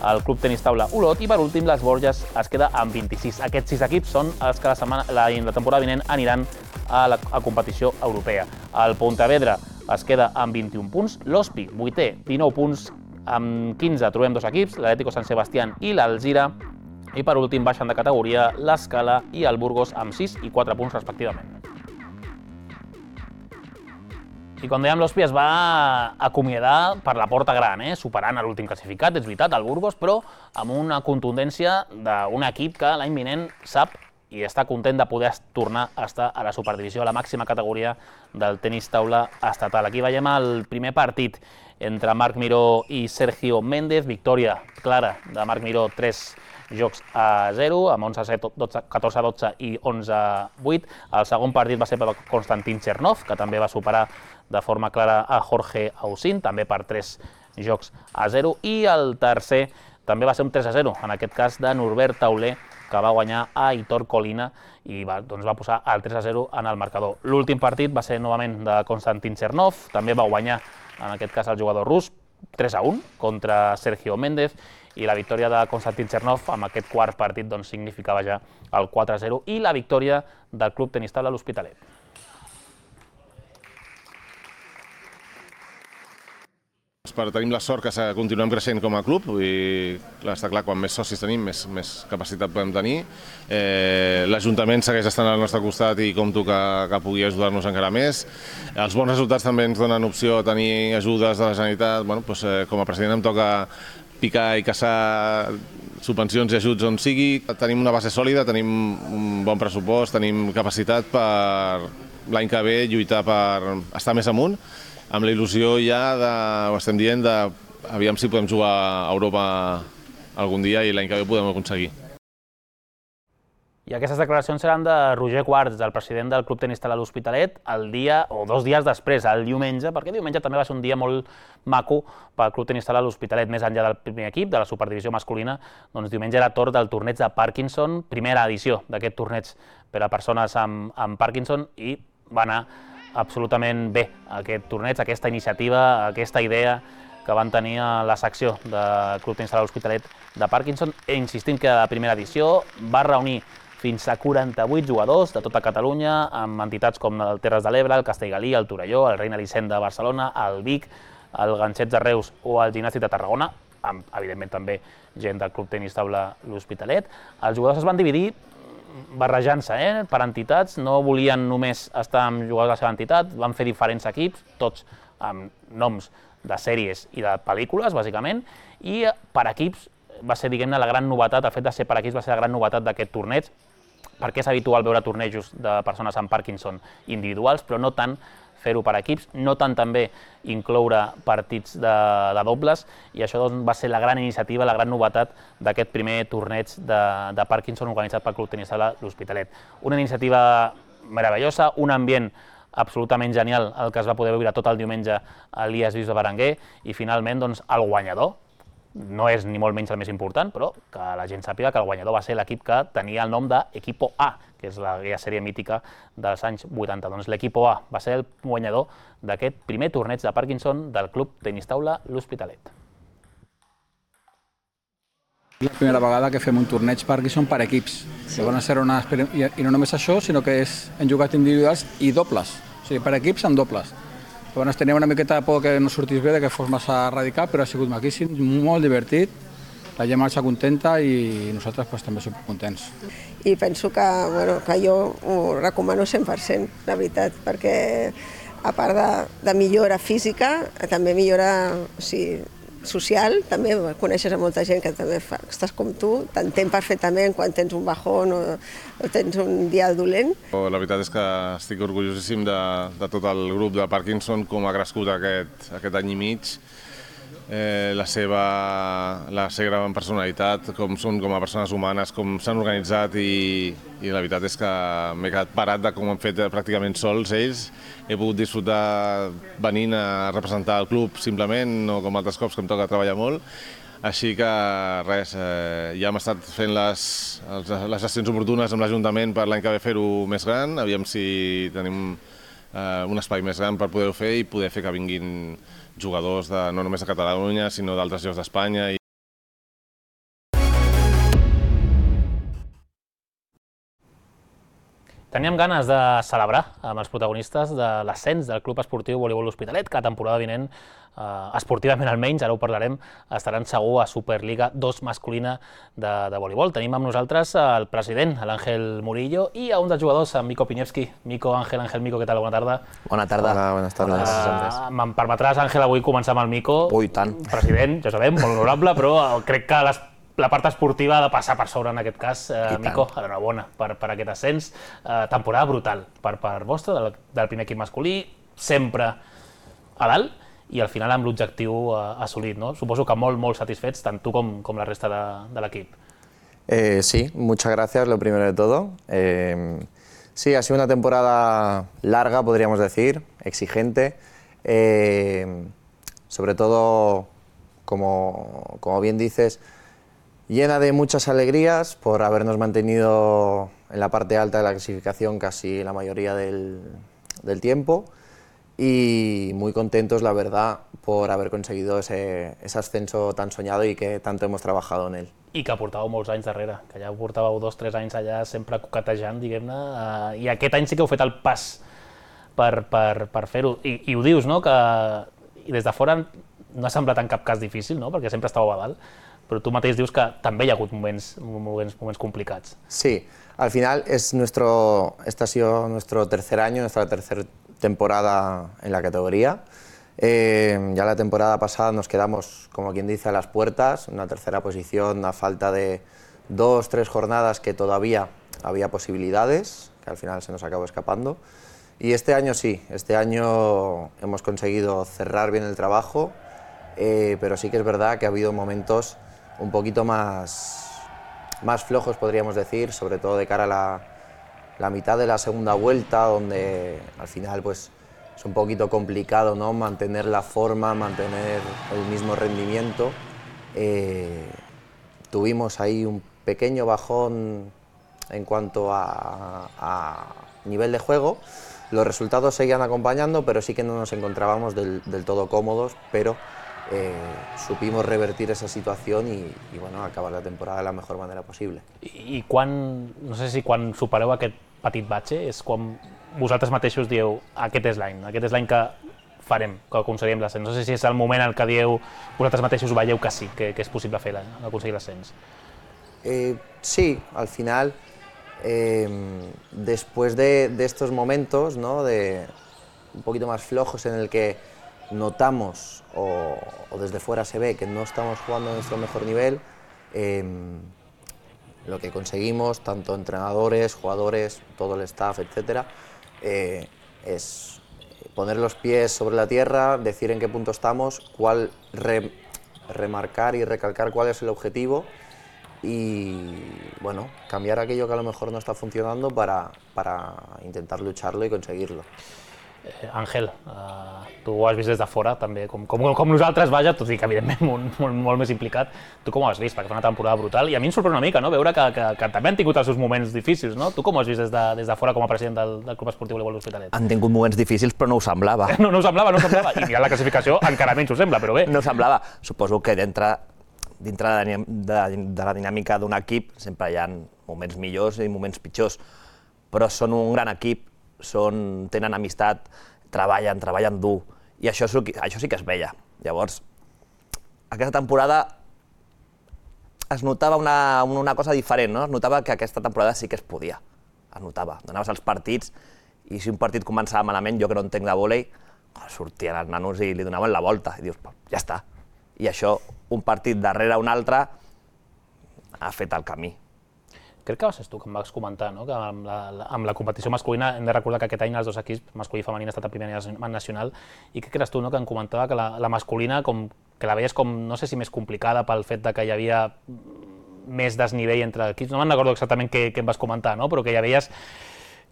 Speaker 1: el Club Tenis Taula Olot, i per últim les Borges es queda amb vint-i-sis. Aquests sis equips són els que la, setmana, la, la temporada vinent aniran a la a competició europea. El Pontevedra es queda amb vint-i-un punts, l'Hospi, vuitè, dinou punts, amb quinze trobem dos equips, l'Atlético San Sebastián i l'Alzira, i per últim baixen de categoria l'Escala i el Burgos amb sis i quatre punts respectivament. I com dèiem, l'Hospi es va acomiadar per la porta gran, eh? superant l'últim classificat, és veritat, el Burgos, però amb una contundència d'un equip que l'any vinent sap i està content de poder tornar a estar a la superdivisió, a la màxima categoria del tenis taula estatal. Aquí veiem el primer partit entre Marc Miró i Sergio Méndez, victòria clara de Marc Miró, tres jocs a zero, amb onze a set, catorze a dotze i onze a vuit. El segon partit va ser per Konstantin Chernov, que també va superar de forma clara a Jorge Ausin, també per tres jocs a zero. I el tercer també va ser un tres a zero, en aquest cas de Norbert Tauler, que va guanyar a Hitor Colina i va, doncs va posar el tres a zero en el marcador. L'últim partit va ser novament de Konstantin Chernov, també va guanyar, en aquest cas el jugador rus, tres a un contra Sergio Méndez, i la victòria de Konstantin Chernov amb aquest quart partit doncs, significava ja el quatre a zero i la victòria del Club Tenis Taula l'Hospitalet.
Speaker 14: Tenim la sort que continuem creixent com a club i està clar, quan més socis tenim, més, més capacitat podem tenir. Eh, L'Ajuntament segueix estant al nostre costat i compto que, que pugui ajudar-nos encara més. Els bons resultats també ens donen opció a tenir ajudes de la Generalitat. Bueno, doncs, eh, com a president em toca picar i caçar subvencions i ajuts on sigui. Tenim una base sòlida, tenim un bon pressupost, tenim capacitat per l'any que ve lluitar per estar més amunt, amb la il·lusió ja, de, ho estem dient, de aviam si podem jugar a Europa algun dia i l'any que ve ho podem aconseguir.
Speaker 1: I aquestes declaracions seran de Roger Quarts, el president del Club Tenis Taula l'Hospitalet, el dia o dos dies després, el diumenge, perquè diumenge també va ser un dia molt maco pel Club Tenis Taula l'Hospitalet, més enllà del primer equip, de la superdivisió masculina, doncs diumenge era torn del torneig de Parkinson, primera edició d'aquest torneig per a persones amb, amb Parkinson, i va anar absolutament bé aquest torneig, aquesta iniciativa, aquesta idea que van tenir a la secció del Club Tenis Taula l'Hospitalet de Parkinson. E insistim que la primera edició va reunir fins a quaranta-vuit jugadors de tota Catalunya, amb entitats com el Terres de l'Ebre, el Castellgalí, el Torelló, el Reina Elisenda de Barcelona, el Vic, el Ganxets de Reus o el Gimnàstic de Tarragona, amb, evidentment, també gent del Club Tenis Taula l'Hospitalet. Els jugadors es van dividir barrejant-se eh, per entitats, no volien només estar amb jugadors de la seva entitat, van fer diferents equips, tots amb noms de sèries i de pel·lícules, bàsicament, i per equips va ser, diguem-ne, la gran novetat, el fet de ser per equips va ser la gran novetat d'aquest torneig, perquè és habitual veure tornejos de persones amb Parkinson individuals, però no tant fer-ho per equips, no tant també incloure partits de, de dobles, i això doncs, va ser la gran iniciativa, la gran novetat d'aquest primer torneig de, de Parkinson organitzat pel Club Tenis Taula l'Hospitalet. Una iniciativa meravellosa, un ambient absolutament genial, el que es va poder veure tot el diumenge a l'I A S Vius de Berenguer, i finalment doncs, el guanyador, no és ni molt menys el més important, però que la gent sàpiga que el guanyador va ser l'equip que tenia el nom d'Equipo A, que és la sèrie mítica dels anys vuitanta. Doncs l'Equipo A va ser el guanyador d'aquest primer torneig de Parkinson del Club Tenis Taula l'Hospitalet.
Speaker 15: És la primera vegada que fem un torneig Parkinson per equips. Sí. Una... I no només això, sinó que és, hem jugat individuals i dobles, o sigui, per equips amb dobles. Llavors tenia una miqueta de por que no sortís bé, que fos massa radical, però ha sigut maquíssim, molt divertit, la gent marxa contenta i nosaltres pues, també som contents.
Speaker 16: I penso que, bueno, que jo ho recomano cent per cent, la veritat, perquè a part de, de millora física, també millora o sigui, social, també coneixes a molta gent que també fa, estàs com tu, t'entén perfectament quan tens un bajón o, o tens un dia dolent.
Speaker 14: La veritat és que estic orgullosíssim de, de tot el grup de Parkinson, com ha crescut aquest, aquest any i mig, eh, la, seva, la seva gran personalitat, com són com a persones humanes, com s'han organitzat i, i la veritat és que m'he quedat parat de com han fet pràcticament sols ells. He pogut disfrutar venint a representar el club simplement, no com altres cops que em toca treballar molt. Així que res, eh, ja hem estat fent les, les gestions oportunes amb l'Ajuntament per l'any que ve fer-ho més gran, aviam si tenim eh, un espai més gran per poder-ho fer i poder fer que vinguin jugadors de, no només de Catalunya, sinó d'altres llocs d'Espanya.
Speaker 1: Teníem ganes de celebrar amb els protagonistes de l'ascens del Club Esportiu Voleibol L'Hospitalet, que la temporada vinent, esportivament almenys, ara ho parlarem, estaran segur a Superliga dos masculina de voleibol. Tenim amb nosaltres el president, l'Àngel Murillo, i a un dels jugadors, en Mico Piñevski. Mico, Àngel, Àngel, Mico, què tal? Bona tarda.
Speaker 17: Bona tarda.
Speaker 5: Hola, bones tardes.
Speaker 1: Me'n permetràs, Àngel, avui començar amb el Mico.
Speaker 17: Ui, tant.
Speaker 1: President, ja sabem, molt honorable, però crec que les la part esportiva ha de passar per sobre en aquest cas. Mico, enhorabona per aquest ascens. Temporada brutal per part vostra, del primer equip masculí, sempre a dalt i al final amb l'objectiu assolit. Suposo que molt, molt satisfets, tant tu com la resta de l'equip.
Speaker 17: Sí, muchas gracias, lo primero de todo. Sí, ha sido una temporada larga, podríamos decir, exigente. Sobre todo, como bien dices, llena de muchas alegrías por habernos mantenido en la parte alta de la clasificación casi la mayoría del, del tiempo y muy contentos, la verdad, por haber conseguido ese, ese ascenso tan soñado y que tanto hemos trabajado en él.
Speaker 1: I que portàveu molts anys darrere, que ja portàveu dos o tres anys allà sempre coquetejant, diguem-ne, i aquest any sí que heu fet el pas per, per, per fer-ho. I, I ho dius, no?, que i des de fora no ha semblat en cap cas difícil, no?, perquè sempre estàveu a dalt, però tu mateix dius que també hi ha hagut moments, moments, moments complicats.
Speaker 17: Sí, al final es nuestro, este ha sido nuestro tercer año, nuestra tercera temporada en la categoría. Eh, ya la temporada pasada nos quedamos, como quien dice, a las puertas, en una tercera posición a falta de dos, tres jornadas que todavía había posibilidades, que al final se nos acabó escapando. Y este año sí, este año hemos conseguido cerrar bien el trabajo, eh, pero sí que es verdad que ha habido momentos un poquito más, más flojos, podríamos decir, sobre todo de cara a la, la mitad de la segunda vuelta, donde al final pues, es un poquito complicado, ¿no?, mantener la forma, mantener el mismo rendimiento. Eh, tuvimos ahí un pequeño bajón en cuanto a, a nivel de juego. Los resultados seguían acompañando, pero sí que no nos encontrábamos del, del todo cómodos, pero Eh, supimos revertir esa situación i, i bueno, acabar la temporada de la mejor manera possible.
Speaker 1: I, i quan, no sé si quan supereu aquest petit batxe, és quan vosaltres mateixos dieu aquest és l'any, aquest és l'any que farem, que aconseguirem l'ascens. No sé si és el moment en què dieu, vosaltres mateixos veieu que sí, que, que és possible fer aconseguir l'ascens.
Speaker 17: Eh, sí, al final, eh, después de, de estos momentos, ¿no?, de un poquito más flojos en el que notamos o, o desde fuera se ve que no estamos jugando a nuestro mejor nivel, eh, lo que conseguimos, tanto entrenadores, jugadores, todo el staff, etcétera, eh, es poner los pies sobre la tierra, decir en qué punto estamos, cuál re, remarcar y recalcar cuál es el objetivo y bueno, cambiar aquello que a lo mejor no está funcionando para, para intentar lucharlo y conseguirlo.
Speaker 1: Àngel, tu ho has vist des de fora, també, com nosaltres, vaja, tot i que evidentment molt més implicat. Tu com ho has vist? Perquè fa una temporada brutal i a mi em sorprèn una mica veure que també han tingut els seus moments difícils, no? Tu com ho has vist des de fora com a president del Club Esportiu Voleibol L'Hospitalet?
Speaker 17: Han tingut moments difícils, però no ho semblava.
Speaker 1: No, no ho semblava, no ho semblava. I mirant la classificació encara menys ho sembla, però bé.
Speaker 17: No semblava. Suposo que dintre de la dinàmica d'un equip sempre hi ha moments millors i moments pitjors, però són un gran equip, són, tenen amistat, treballen, treballen dur, i això, això sí que es veia. Llavors, aquesta temporada es notava una, una cosa diferent, no? Es notava que aquesta temporada sí que es podia, es notava. Donaves els partits, i si un partit començava malament, jo que no entenc de vòlei, sortien els nanos i li donaven la volta, i dius, ja està. I això, un partit darrere un altre, ha fet el camí.
Speaker 1: Crec que va ser tu que em vas comentar, no?, que amb la, amb la competició masculina hem de recordar que aquest any els dos equips, masculí i femení, han estat a primer nivell nacional, i crec que eres tu, no?, que em comentava que la, la masculina com, que la veies com, no sé si més complicada pel fet de que hi havia més desnivell entre equips. No me'n recordo exactament què, què em vas comentar, no?, però que ja veies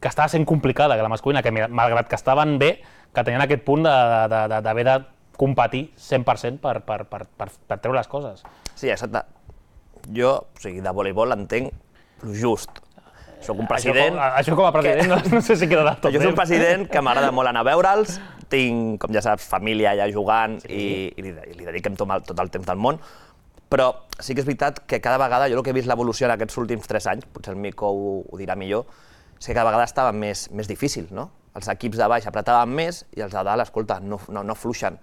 Speaker 1: que estava sent complicada, que la masculina, que malgrat que estaven bé, que tenien aquest punt d'haver de, de, de competir cent per cent per, per, per, per, per treure les coses.
Speaker 17: Sí, exacte. Jo, o sigui, de voleibol entenc just. Soc un president...
Speaker 1: Això, això com a president que... no, no sé si queda del tot bé.
Speaker 17: Jo soc un president que m'agrada molt anar a veure'ls, tinc, com ja saps, família allà jugant sí. i, i, li, i li dediquem tot el, tot el temps del món, però sí que és veritat que cada vegada, jo el que he vist l'evolució en aquests últims tres anys, potser el Mico ho, ho dirà millor,
Speaker 18: és que cada vegada estava més, més difícil, no? Els equips de baix apretaven més i els de dalt, escolta, no, no, no fluixen.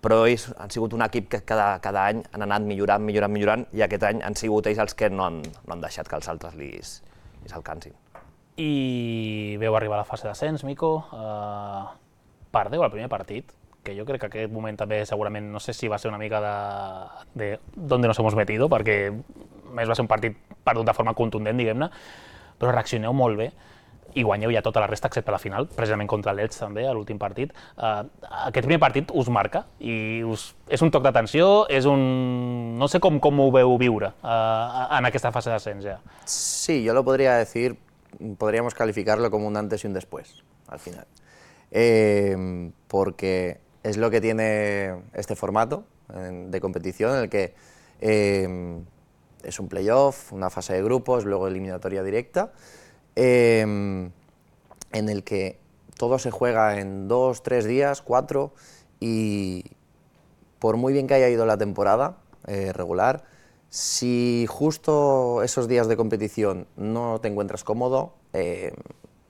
Speaker 18: Però ells han sigut un equip que cada, cada any han anat millorant, millorant, millorant, i aquest any han sigut ells els que no han, no han deixat que els altres li s'alcancin.
Speaker 1: I veu arribar a la fase d'ascens, Mico. Uh, perdeu el primer partit, que jo crec que aquest moment també segurament, no sé si va ser una mica de, de donde nos hemos metido, perquè més va ser un partit perdut de forma contundent, diguem-ne, però reaccioneu molt bé i guanyeu ja tota la resta excepte la final, precisament contra l'Elx també, a l'últim partit. Uh, aquest primer partit us marca i us, és un toc d'atenció, és un... no sé com, com ho veu viure uh, en aquesta fase d'ascens ja.
Speaker 17: Sí, yo lo podría decir, podríamos calificarlo como un antes y un después, al final. Eh, porque es lo que tiene este formato eh, de competición en el que eh, es un playoff, una fase de grupos, luego eliminatoria directa, eh, en el que todo se juega en dos, tres días, cuatro, y por muy bien que haya ido la temporada eh, regular, si justo esos días de competición no te encuentras cómodo, eh,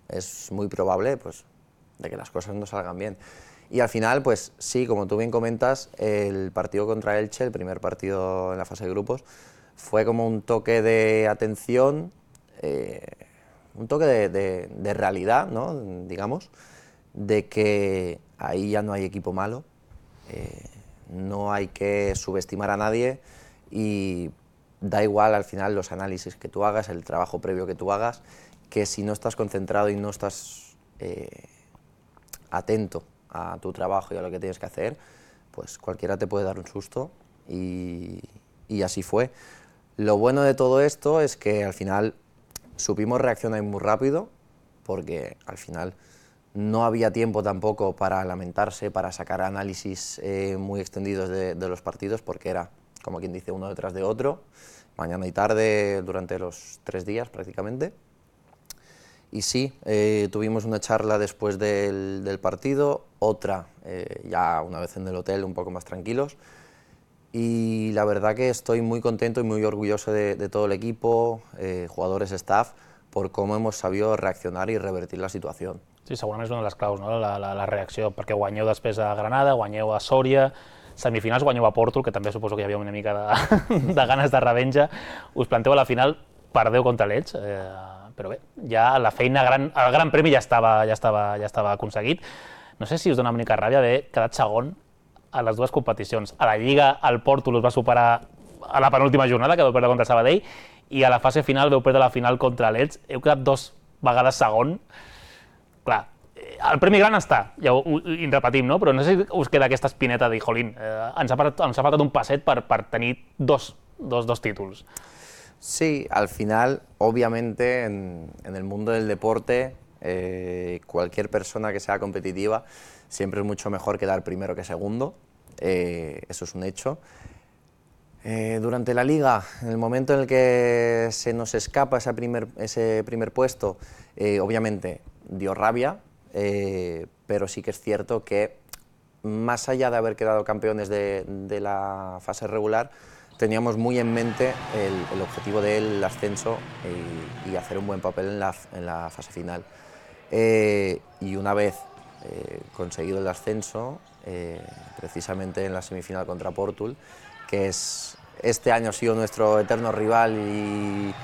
Speaker 17: es muy probable pues, de que las cosas no salgan bien. Y al final, pues sí, como tú bien comentas, el partido contra Elche, el primer partido en la fase de grupos, fue como un toque de atención, eh, un toque de, de, de realidad, ¿no? Digamos, de que ahí ya no hay equipo malo, eh, no hay que subestimar a nadie y da igual al final los análisis que tú hagas, el trabajo previo que tú hagas, que si no estás concentrado y no estás eh, atento a tu trabajo y a lo que tienes que hacer, pues cualquiera te puede dar un susto y, y así fue. Lo bueno de todo esto es que al final supimos reaccionar muy rápido, porque al final no había tiempo tampoco para lamentarse, para sacar análisis eh, muy extendidos de, de los partidos, porque era, como quien dice, uno detrás de otro, mañana y tarde durante los tres días prácticamente. Y sí, eh, tuvimos una charla después del, del partido, otra eh, ya una vez en el hotel un poco más tranquilos, y la verdad que estoy muy contento y muy orgulloso de, de todo el equipo, eh, jugadores, staff, por cómo hemos sabido reaccionar i revertir la situació.
Speaker 1: Sí, segurament és una de les claus, no? la, la, la reacció, perquè guanyeu després a Granada, guanyeu a Sòria, semifinals guanyeu a Porto, que també suposo que hi havia una mica de, de ganes de revenja, us planteu a la final, perdeu contra l'Elx, eh, però bé, ja la feina, gran, el gran premi ja estava, ja, estava, ja estava aconseguit. No sé si us dona una mica ràbia haver quedat segon a les dues competicions. A la Lliga, el Porto us va superar a la penúltima jornada, que vau perdre contra Sabadell, i a la fase final veu perdre la final contra l'Elx. Heu quedat dos vegades segon. Clar, el premi gran està, ja ho, ho repetim, no? Però no sé si us queda aquesta espineta de dir, jolín, eh, ens, ha faltat, ens ha faltat un passet per, per tenir dos, dos, dos títulos.
Speaker 17: Sí, al final, obviamente, en, en el mundo del deporte, eh, cualquier persona que sea competitiva, siempre es mucho mejor quedar primero que segundo, eh, eso es un hecho. Eh, durante la Liga, en el momento en el que se nos escapa ese primer, ese primer puesto, eh, obviamente dio rabia, eh, pero sí que es cierto que más allá de haber quedado campeones de, de la fase regular, teníamos muy en mente el, el objetivo del ascenso y, y hacer un buen papel en la, en la fase final. Eh, y una vez eh, conseguido el ascenso, eh, precisamente en la semifinal contra Portul, que es, este año ha sido nuestro eterno rival y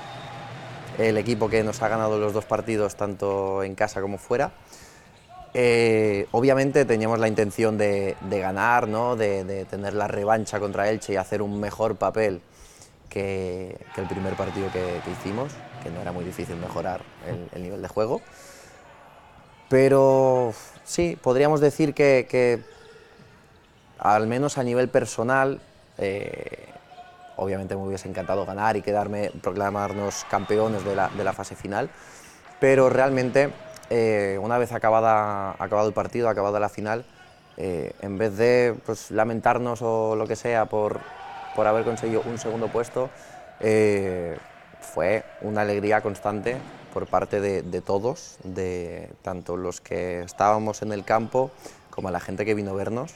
Speaker 17: el equipo que nos ha ganado los dos partidos, tanto en casa como fuera. Eh, obviamente teníamos la intención de, de ganar, ¿no? de, de tener la revancha contra Elche y hacer un mejor papel que, que el primer partido que, que hicimos, que no era muy difícil mejorar el, el nivel de juego. Pero sí, podríamos decir que, que al menos a nivel personal, eh, obviamente me hubiese encantado ganar y quedarme, proclamarnos campeones de la, de la fase final, pero realmente eh, una vez acabada, acabado el partido, acabada la final, eh, en vez de pues, lamentarnos o lo que sea por, por haber conseguido un segundo puesto, eh, fue una alegría constante por parte de, de todos, de tanto los que estábamos en el campo como a la gente que vino a vernos,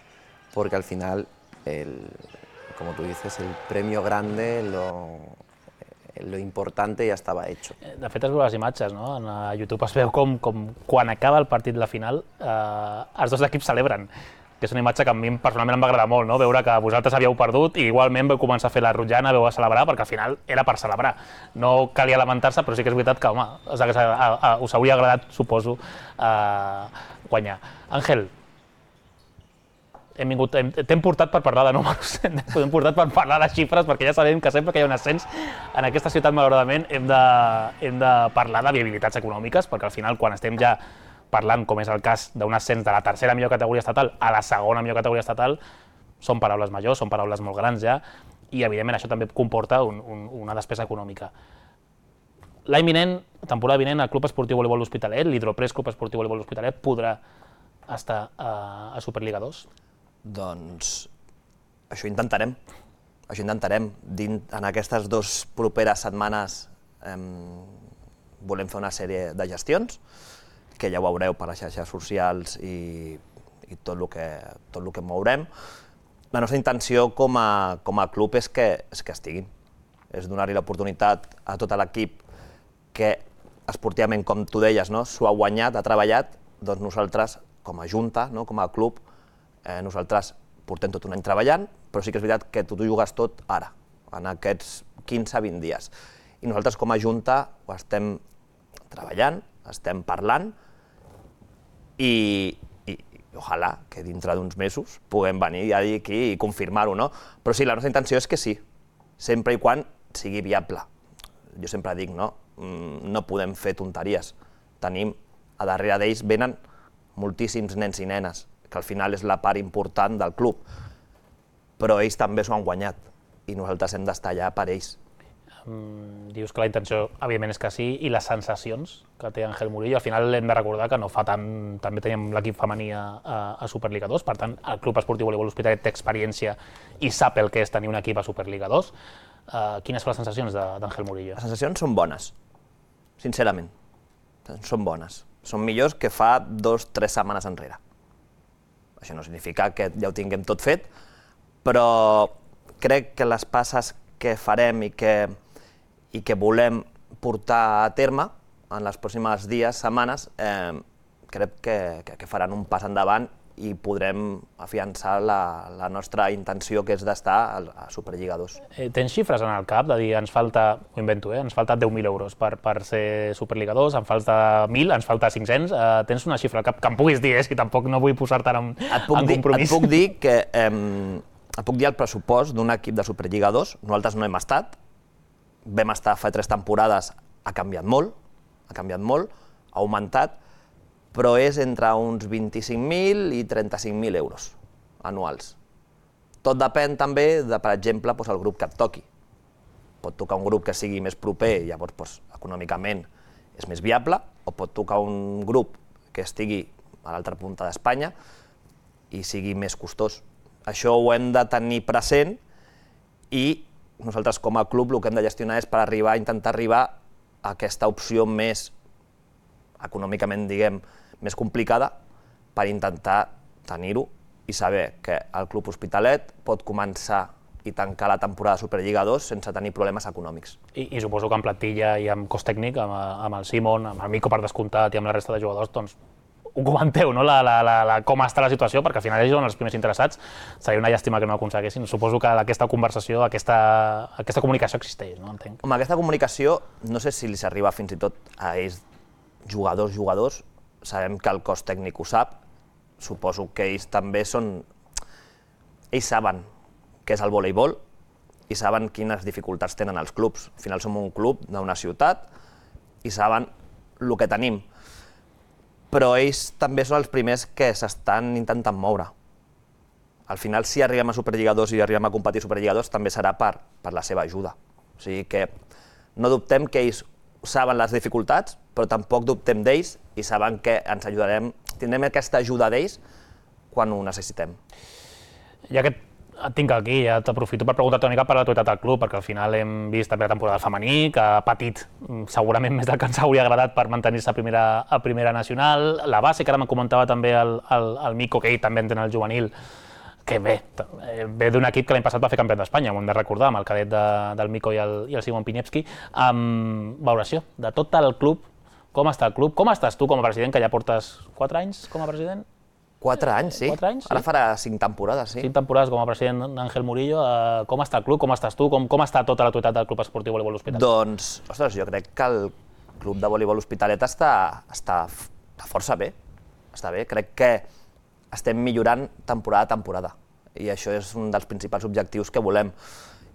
Speaker 17: porque al final, el, como tú dices, el premio grande, lo, lo importante ya estaba hecho.
Speaker 1: De fet, es veu les imatges, no? A YouTube es veu com quan acaba el partit de la final els dos equips celebren, que és una imatge que a mi personalment em va agradar molt, veure que vosaltres havíeu perdut i igualment vau començar a fer la rotllana, vau a celebrar, perquè al final era per celebrar. No calia lamentar-se, però sí que és veritat que, home, us hauria agradat, suposo, guanyar. Àngel, t'hem portat per parlar de números, t'hem portat per parlar de xifres, perquè ja sabem que sempre que hi ha un ascens en aquesta ciutat, malauradament, hem de parlar de viabilitats econòmiques, perquè al final, quan estem ja parlant, com és el cas d'un ascens de la tercera millor categoria estatal a la segona millor categoria estatal, són paraules majors, són paraules molt grans ja, i evidentment això també comporta una despesa econòmica. L'any vinent, temporada vinent, el Club Esportiu Voleibol L'Hospitalet, l'Hidropress Club Esportiu Voleibol L'Hospitalet, podrà estar a Superliga dos?
Speaker 18: Doncs això intentarem, això intentarem. En aquestes dues properes setmanes volem fer una sèrie de gestions, que ja ho veureu per les xarxes socials i tot el que mourem. La nostra intenció com a club és que estiguin, és donar-li l'oportunitat a tot l'equip que esportivament, com tu deies, s'ho ha guanyat, ha treballat, doncs nosaltres, com a junta, com a club, nosaltres portem tot un any treballant, però sí que és veritat que tu t'ho jugues tot ara, en aquests quinze a vint dies. I nosaltres com a junta ho estem treballant, estem parlant, i ojalà que dintre d'uns mesos puguem venir a dir aquí i confirmar-ho, no? Però sí, la nostra intenció és que sí, sempre i quan sigui viable. Jo sempre dic, no? No podem fer tonteries. Tenim, a darrere d'ells venen moltíssims nens i nenes, que al final és la part important del club, però ells també s'ho han guanyat i nosaltres hem d'estar allà per ells.
Speaker 1: Dius que la intenció, evidentment, és que sí, i les sensacions que té Ángel Murillo, al final hem de recordar que no fa tant, també teníem l'equip femení a Superliga dos, per tant, el Club Esportiu Voleibol L'Hospitalet té experiència i sap el que és tenir un equip a Superliga dos. Quines són les sensacions d'Ángel Murillo?
Speaker 18: Les sensacions són bones, sincerament, són bones. Són millors que fa dos o tres setmanes enrere. Això no significa que ja ho tinguem tot fet, però crec que les passes que farem i que i que volem portar a terme en les pròximes dies, setmanes, crec que faran un pas endavant i podrem afiançar la nostra intenció, que és d'estar a Superliga dos.
Speaker 1: Tens xifres en el cap de dir, ens falta, ho invento, ens falta deu mil euros per ser Superliga dos, ens falta mil, ens falta cinc-cents, tens una xifra al cap que em puguis dir, si tampoc no vull posar-te en compromís.
Speaker 18: Et puc dir que et puc dir el pressupost d'un equip de Superliga dos, nosaltres no hem estat, vam estar fa tres temporades, ha canviat molt, ha canviat molt, ha augmentat, però és entre uns vint-i-cinc mil i trenta-cinc mil euros anuals. Tot depèn també de, per exemple, el grup que et toqui. Pot tocar un grup que sigui més proper i llavors econòmicament és més viable, o pot tocar un grup que estigui a l'altra punta d'Espanya i sigui més costós. Això ho hem de tenir present i nosaltres com a club el que hem de gestionar és per arribar, intentar arribar a aquesta opció més econòmicament, diguem, més complicada per intentar tenir-ho i saber que el Club Hospitalet pot començar i tancar la temporada de Superliga dos sense tenir problemes econòmics.
Speaker 1: I suposo que en plantilla i amb cos tècnic, amb el Simon, amb el Mico per descomptat i amb la resta de jugadors, doncs ho comenteu, no? Com està la situació, perquè al final ells són els primers interessats. Seria una llàstima que no ho aconseguessin. Suposo que aquesta conversació, aquesta comunicació existeix, no? Entenc.
Speaker 18: Home, aquesta comunicació, no sé si li s'arriba fins i tot a ells, jugadors, jugadors, sabem que el cos tècnic ho sap, suposo que ells també són... Ells saben què és el voleibol i saben quines dificultats tenen els clubs. Al final som un club d'una ciutat i saben el que tenim. Però ells també són els primers que s'estan intentant moure. Al final, si arribem a Superliga dos i arribem a competir a Superliga dos, també serà per la seva ajuda. O sigui que no dubtem que ells saben les dificultats, però tampoc dubtem d'ells i saben que ens ajudarem, tindrem aquesta ajuda d'ells quan ho necessitem.
Speaker 1: Ja que et tinc aquí, ja t'aprofito per preguntar-te una mica per l'actualitat del club, perquè al final hem vist també la temporada femení, que ha patit segurament més del que ens hauria agradat per mantenir-se a primera nacional. La base, que ara me'n comentava també el Mico, que ell també entén el juvenil, que bé, ve d'un equip que l'any passat va fer campió d'Espanya, ho hem de recordar, amb el cadet del Mico i el Simon Piniewski. Valoració de tot el club, com està el club, com estàs tu com a president, que ja portes quatre anys com a president?
Speaker 18: Quatre anys, sí. Ara farà cinc temporades, sí.
Speaker 1: Cinc temporades com a president d'Àngel Murillo. Com està el club, com estàs tu, com està tota l'actualitat del Club Esportiu Voleibol L'Hospitalet?
Speaker 18: Doncs, ostres, jo crec que el club de voleibol L'Hospitalet està força bé. Està bé, crec que estem millorant temporada a temporada i això és un dels principals objectius que volem.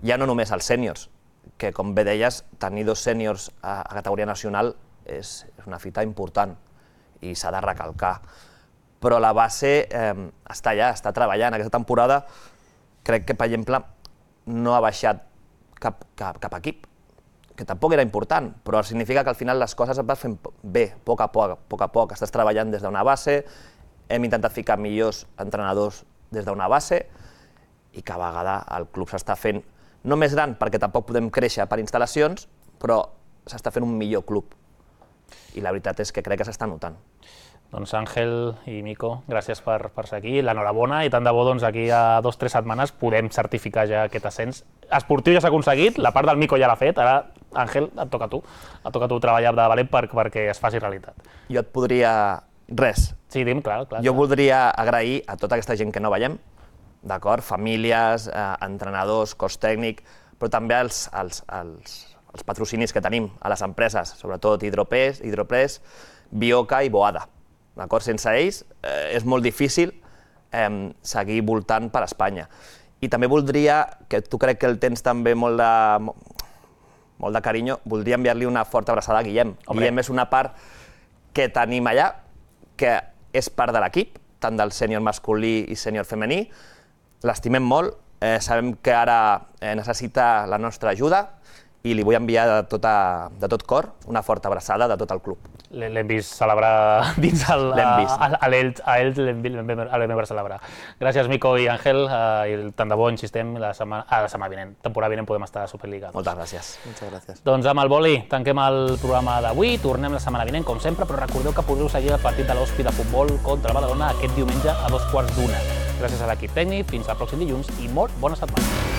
Speaker 18: Ja no només els sèniors, que com bé deies, tenir dos sèniors a categoria nacional és una fita important i s'ha de recalcar. Però la base està allà, està treballant. Aquesta temporada crec que, per exemple, no ha baixat cap equip, que tampoc era important, però significa que al final les coses es van fent bé, a poc a poc, a poc a poc. Estàs treballant des d'una base, hem intentat ficar millors entrenadors des d'una base i cada vegada el club s'està fent no més gran perquè tampoc podem créixer per instal·lacions, però s'està fent un millor club i la veritat és que crec que s'està notant.
Speaker 1: Doncs Àngel i Mico, gràcies per ser aquí, l'enhorabona i tant de bo aquí a dues o tres setmanes podem certificar ja aquest ascens. Esportiu ja s'ha aconseguit, la part del Mico ja l'ha fet, ara Àngel et toca a tu, et toca a tu treballar de valent perquè es faci realitat.
Speaker 18: Jo et podria... Res.
Speaker 1: Sí, dim, clar, clar.
Speaker 18: Jo voldria agrair a tota aquesta gent que no veiem, d'acord? Famílies, entrenadors, cos tècnic, però també els patrocinis que tenim a les empreses, sobretot Hidropress, Hidropress, Bioca i Boada. Sense ells és molt difícil seguir voltant per Espanya. I també voldria, que tu crec que el tens també molt de carinyo, voldria enviar-li una forta abraçada a Guillem. Guillem és una part que tenim allà, que és part de l'equip, tant del sènior masculí i sènior femení. L'estimem molt, sabem que ara necessita la nostra ajuda i li vull enviar de tot cor una forta abraçada de tot el club.
Speaker 1: L'hem vist celebrar dins a ells, l'hem vist celebrar. Gràcies, Mico i Àngel, i tant de bo, insistem, la setmana vinent, temporada vinent podem estar a Superliga.
Speaker 18: Moltes gràcies.
Speaker 17: Moltes gràcies.
Speaker 1: Doncs amb el boli tanquem el programa d'avui, tornem la setmana vinent, com sempre, però recordeu que podeu seguir el partit de l'Hospi de futbol contra el Badalona aquest diumenge a dos quarts d'una. Gràcies a l'equip tècnic, fins al pròxim dilluns i molt bona setmana.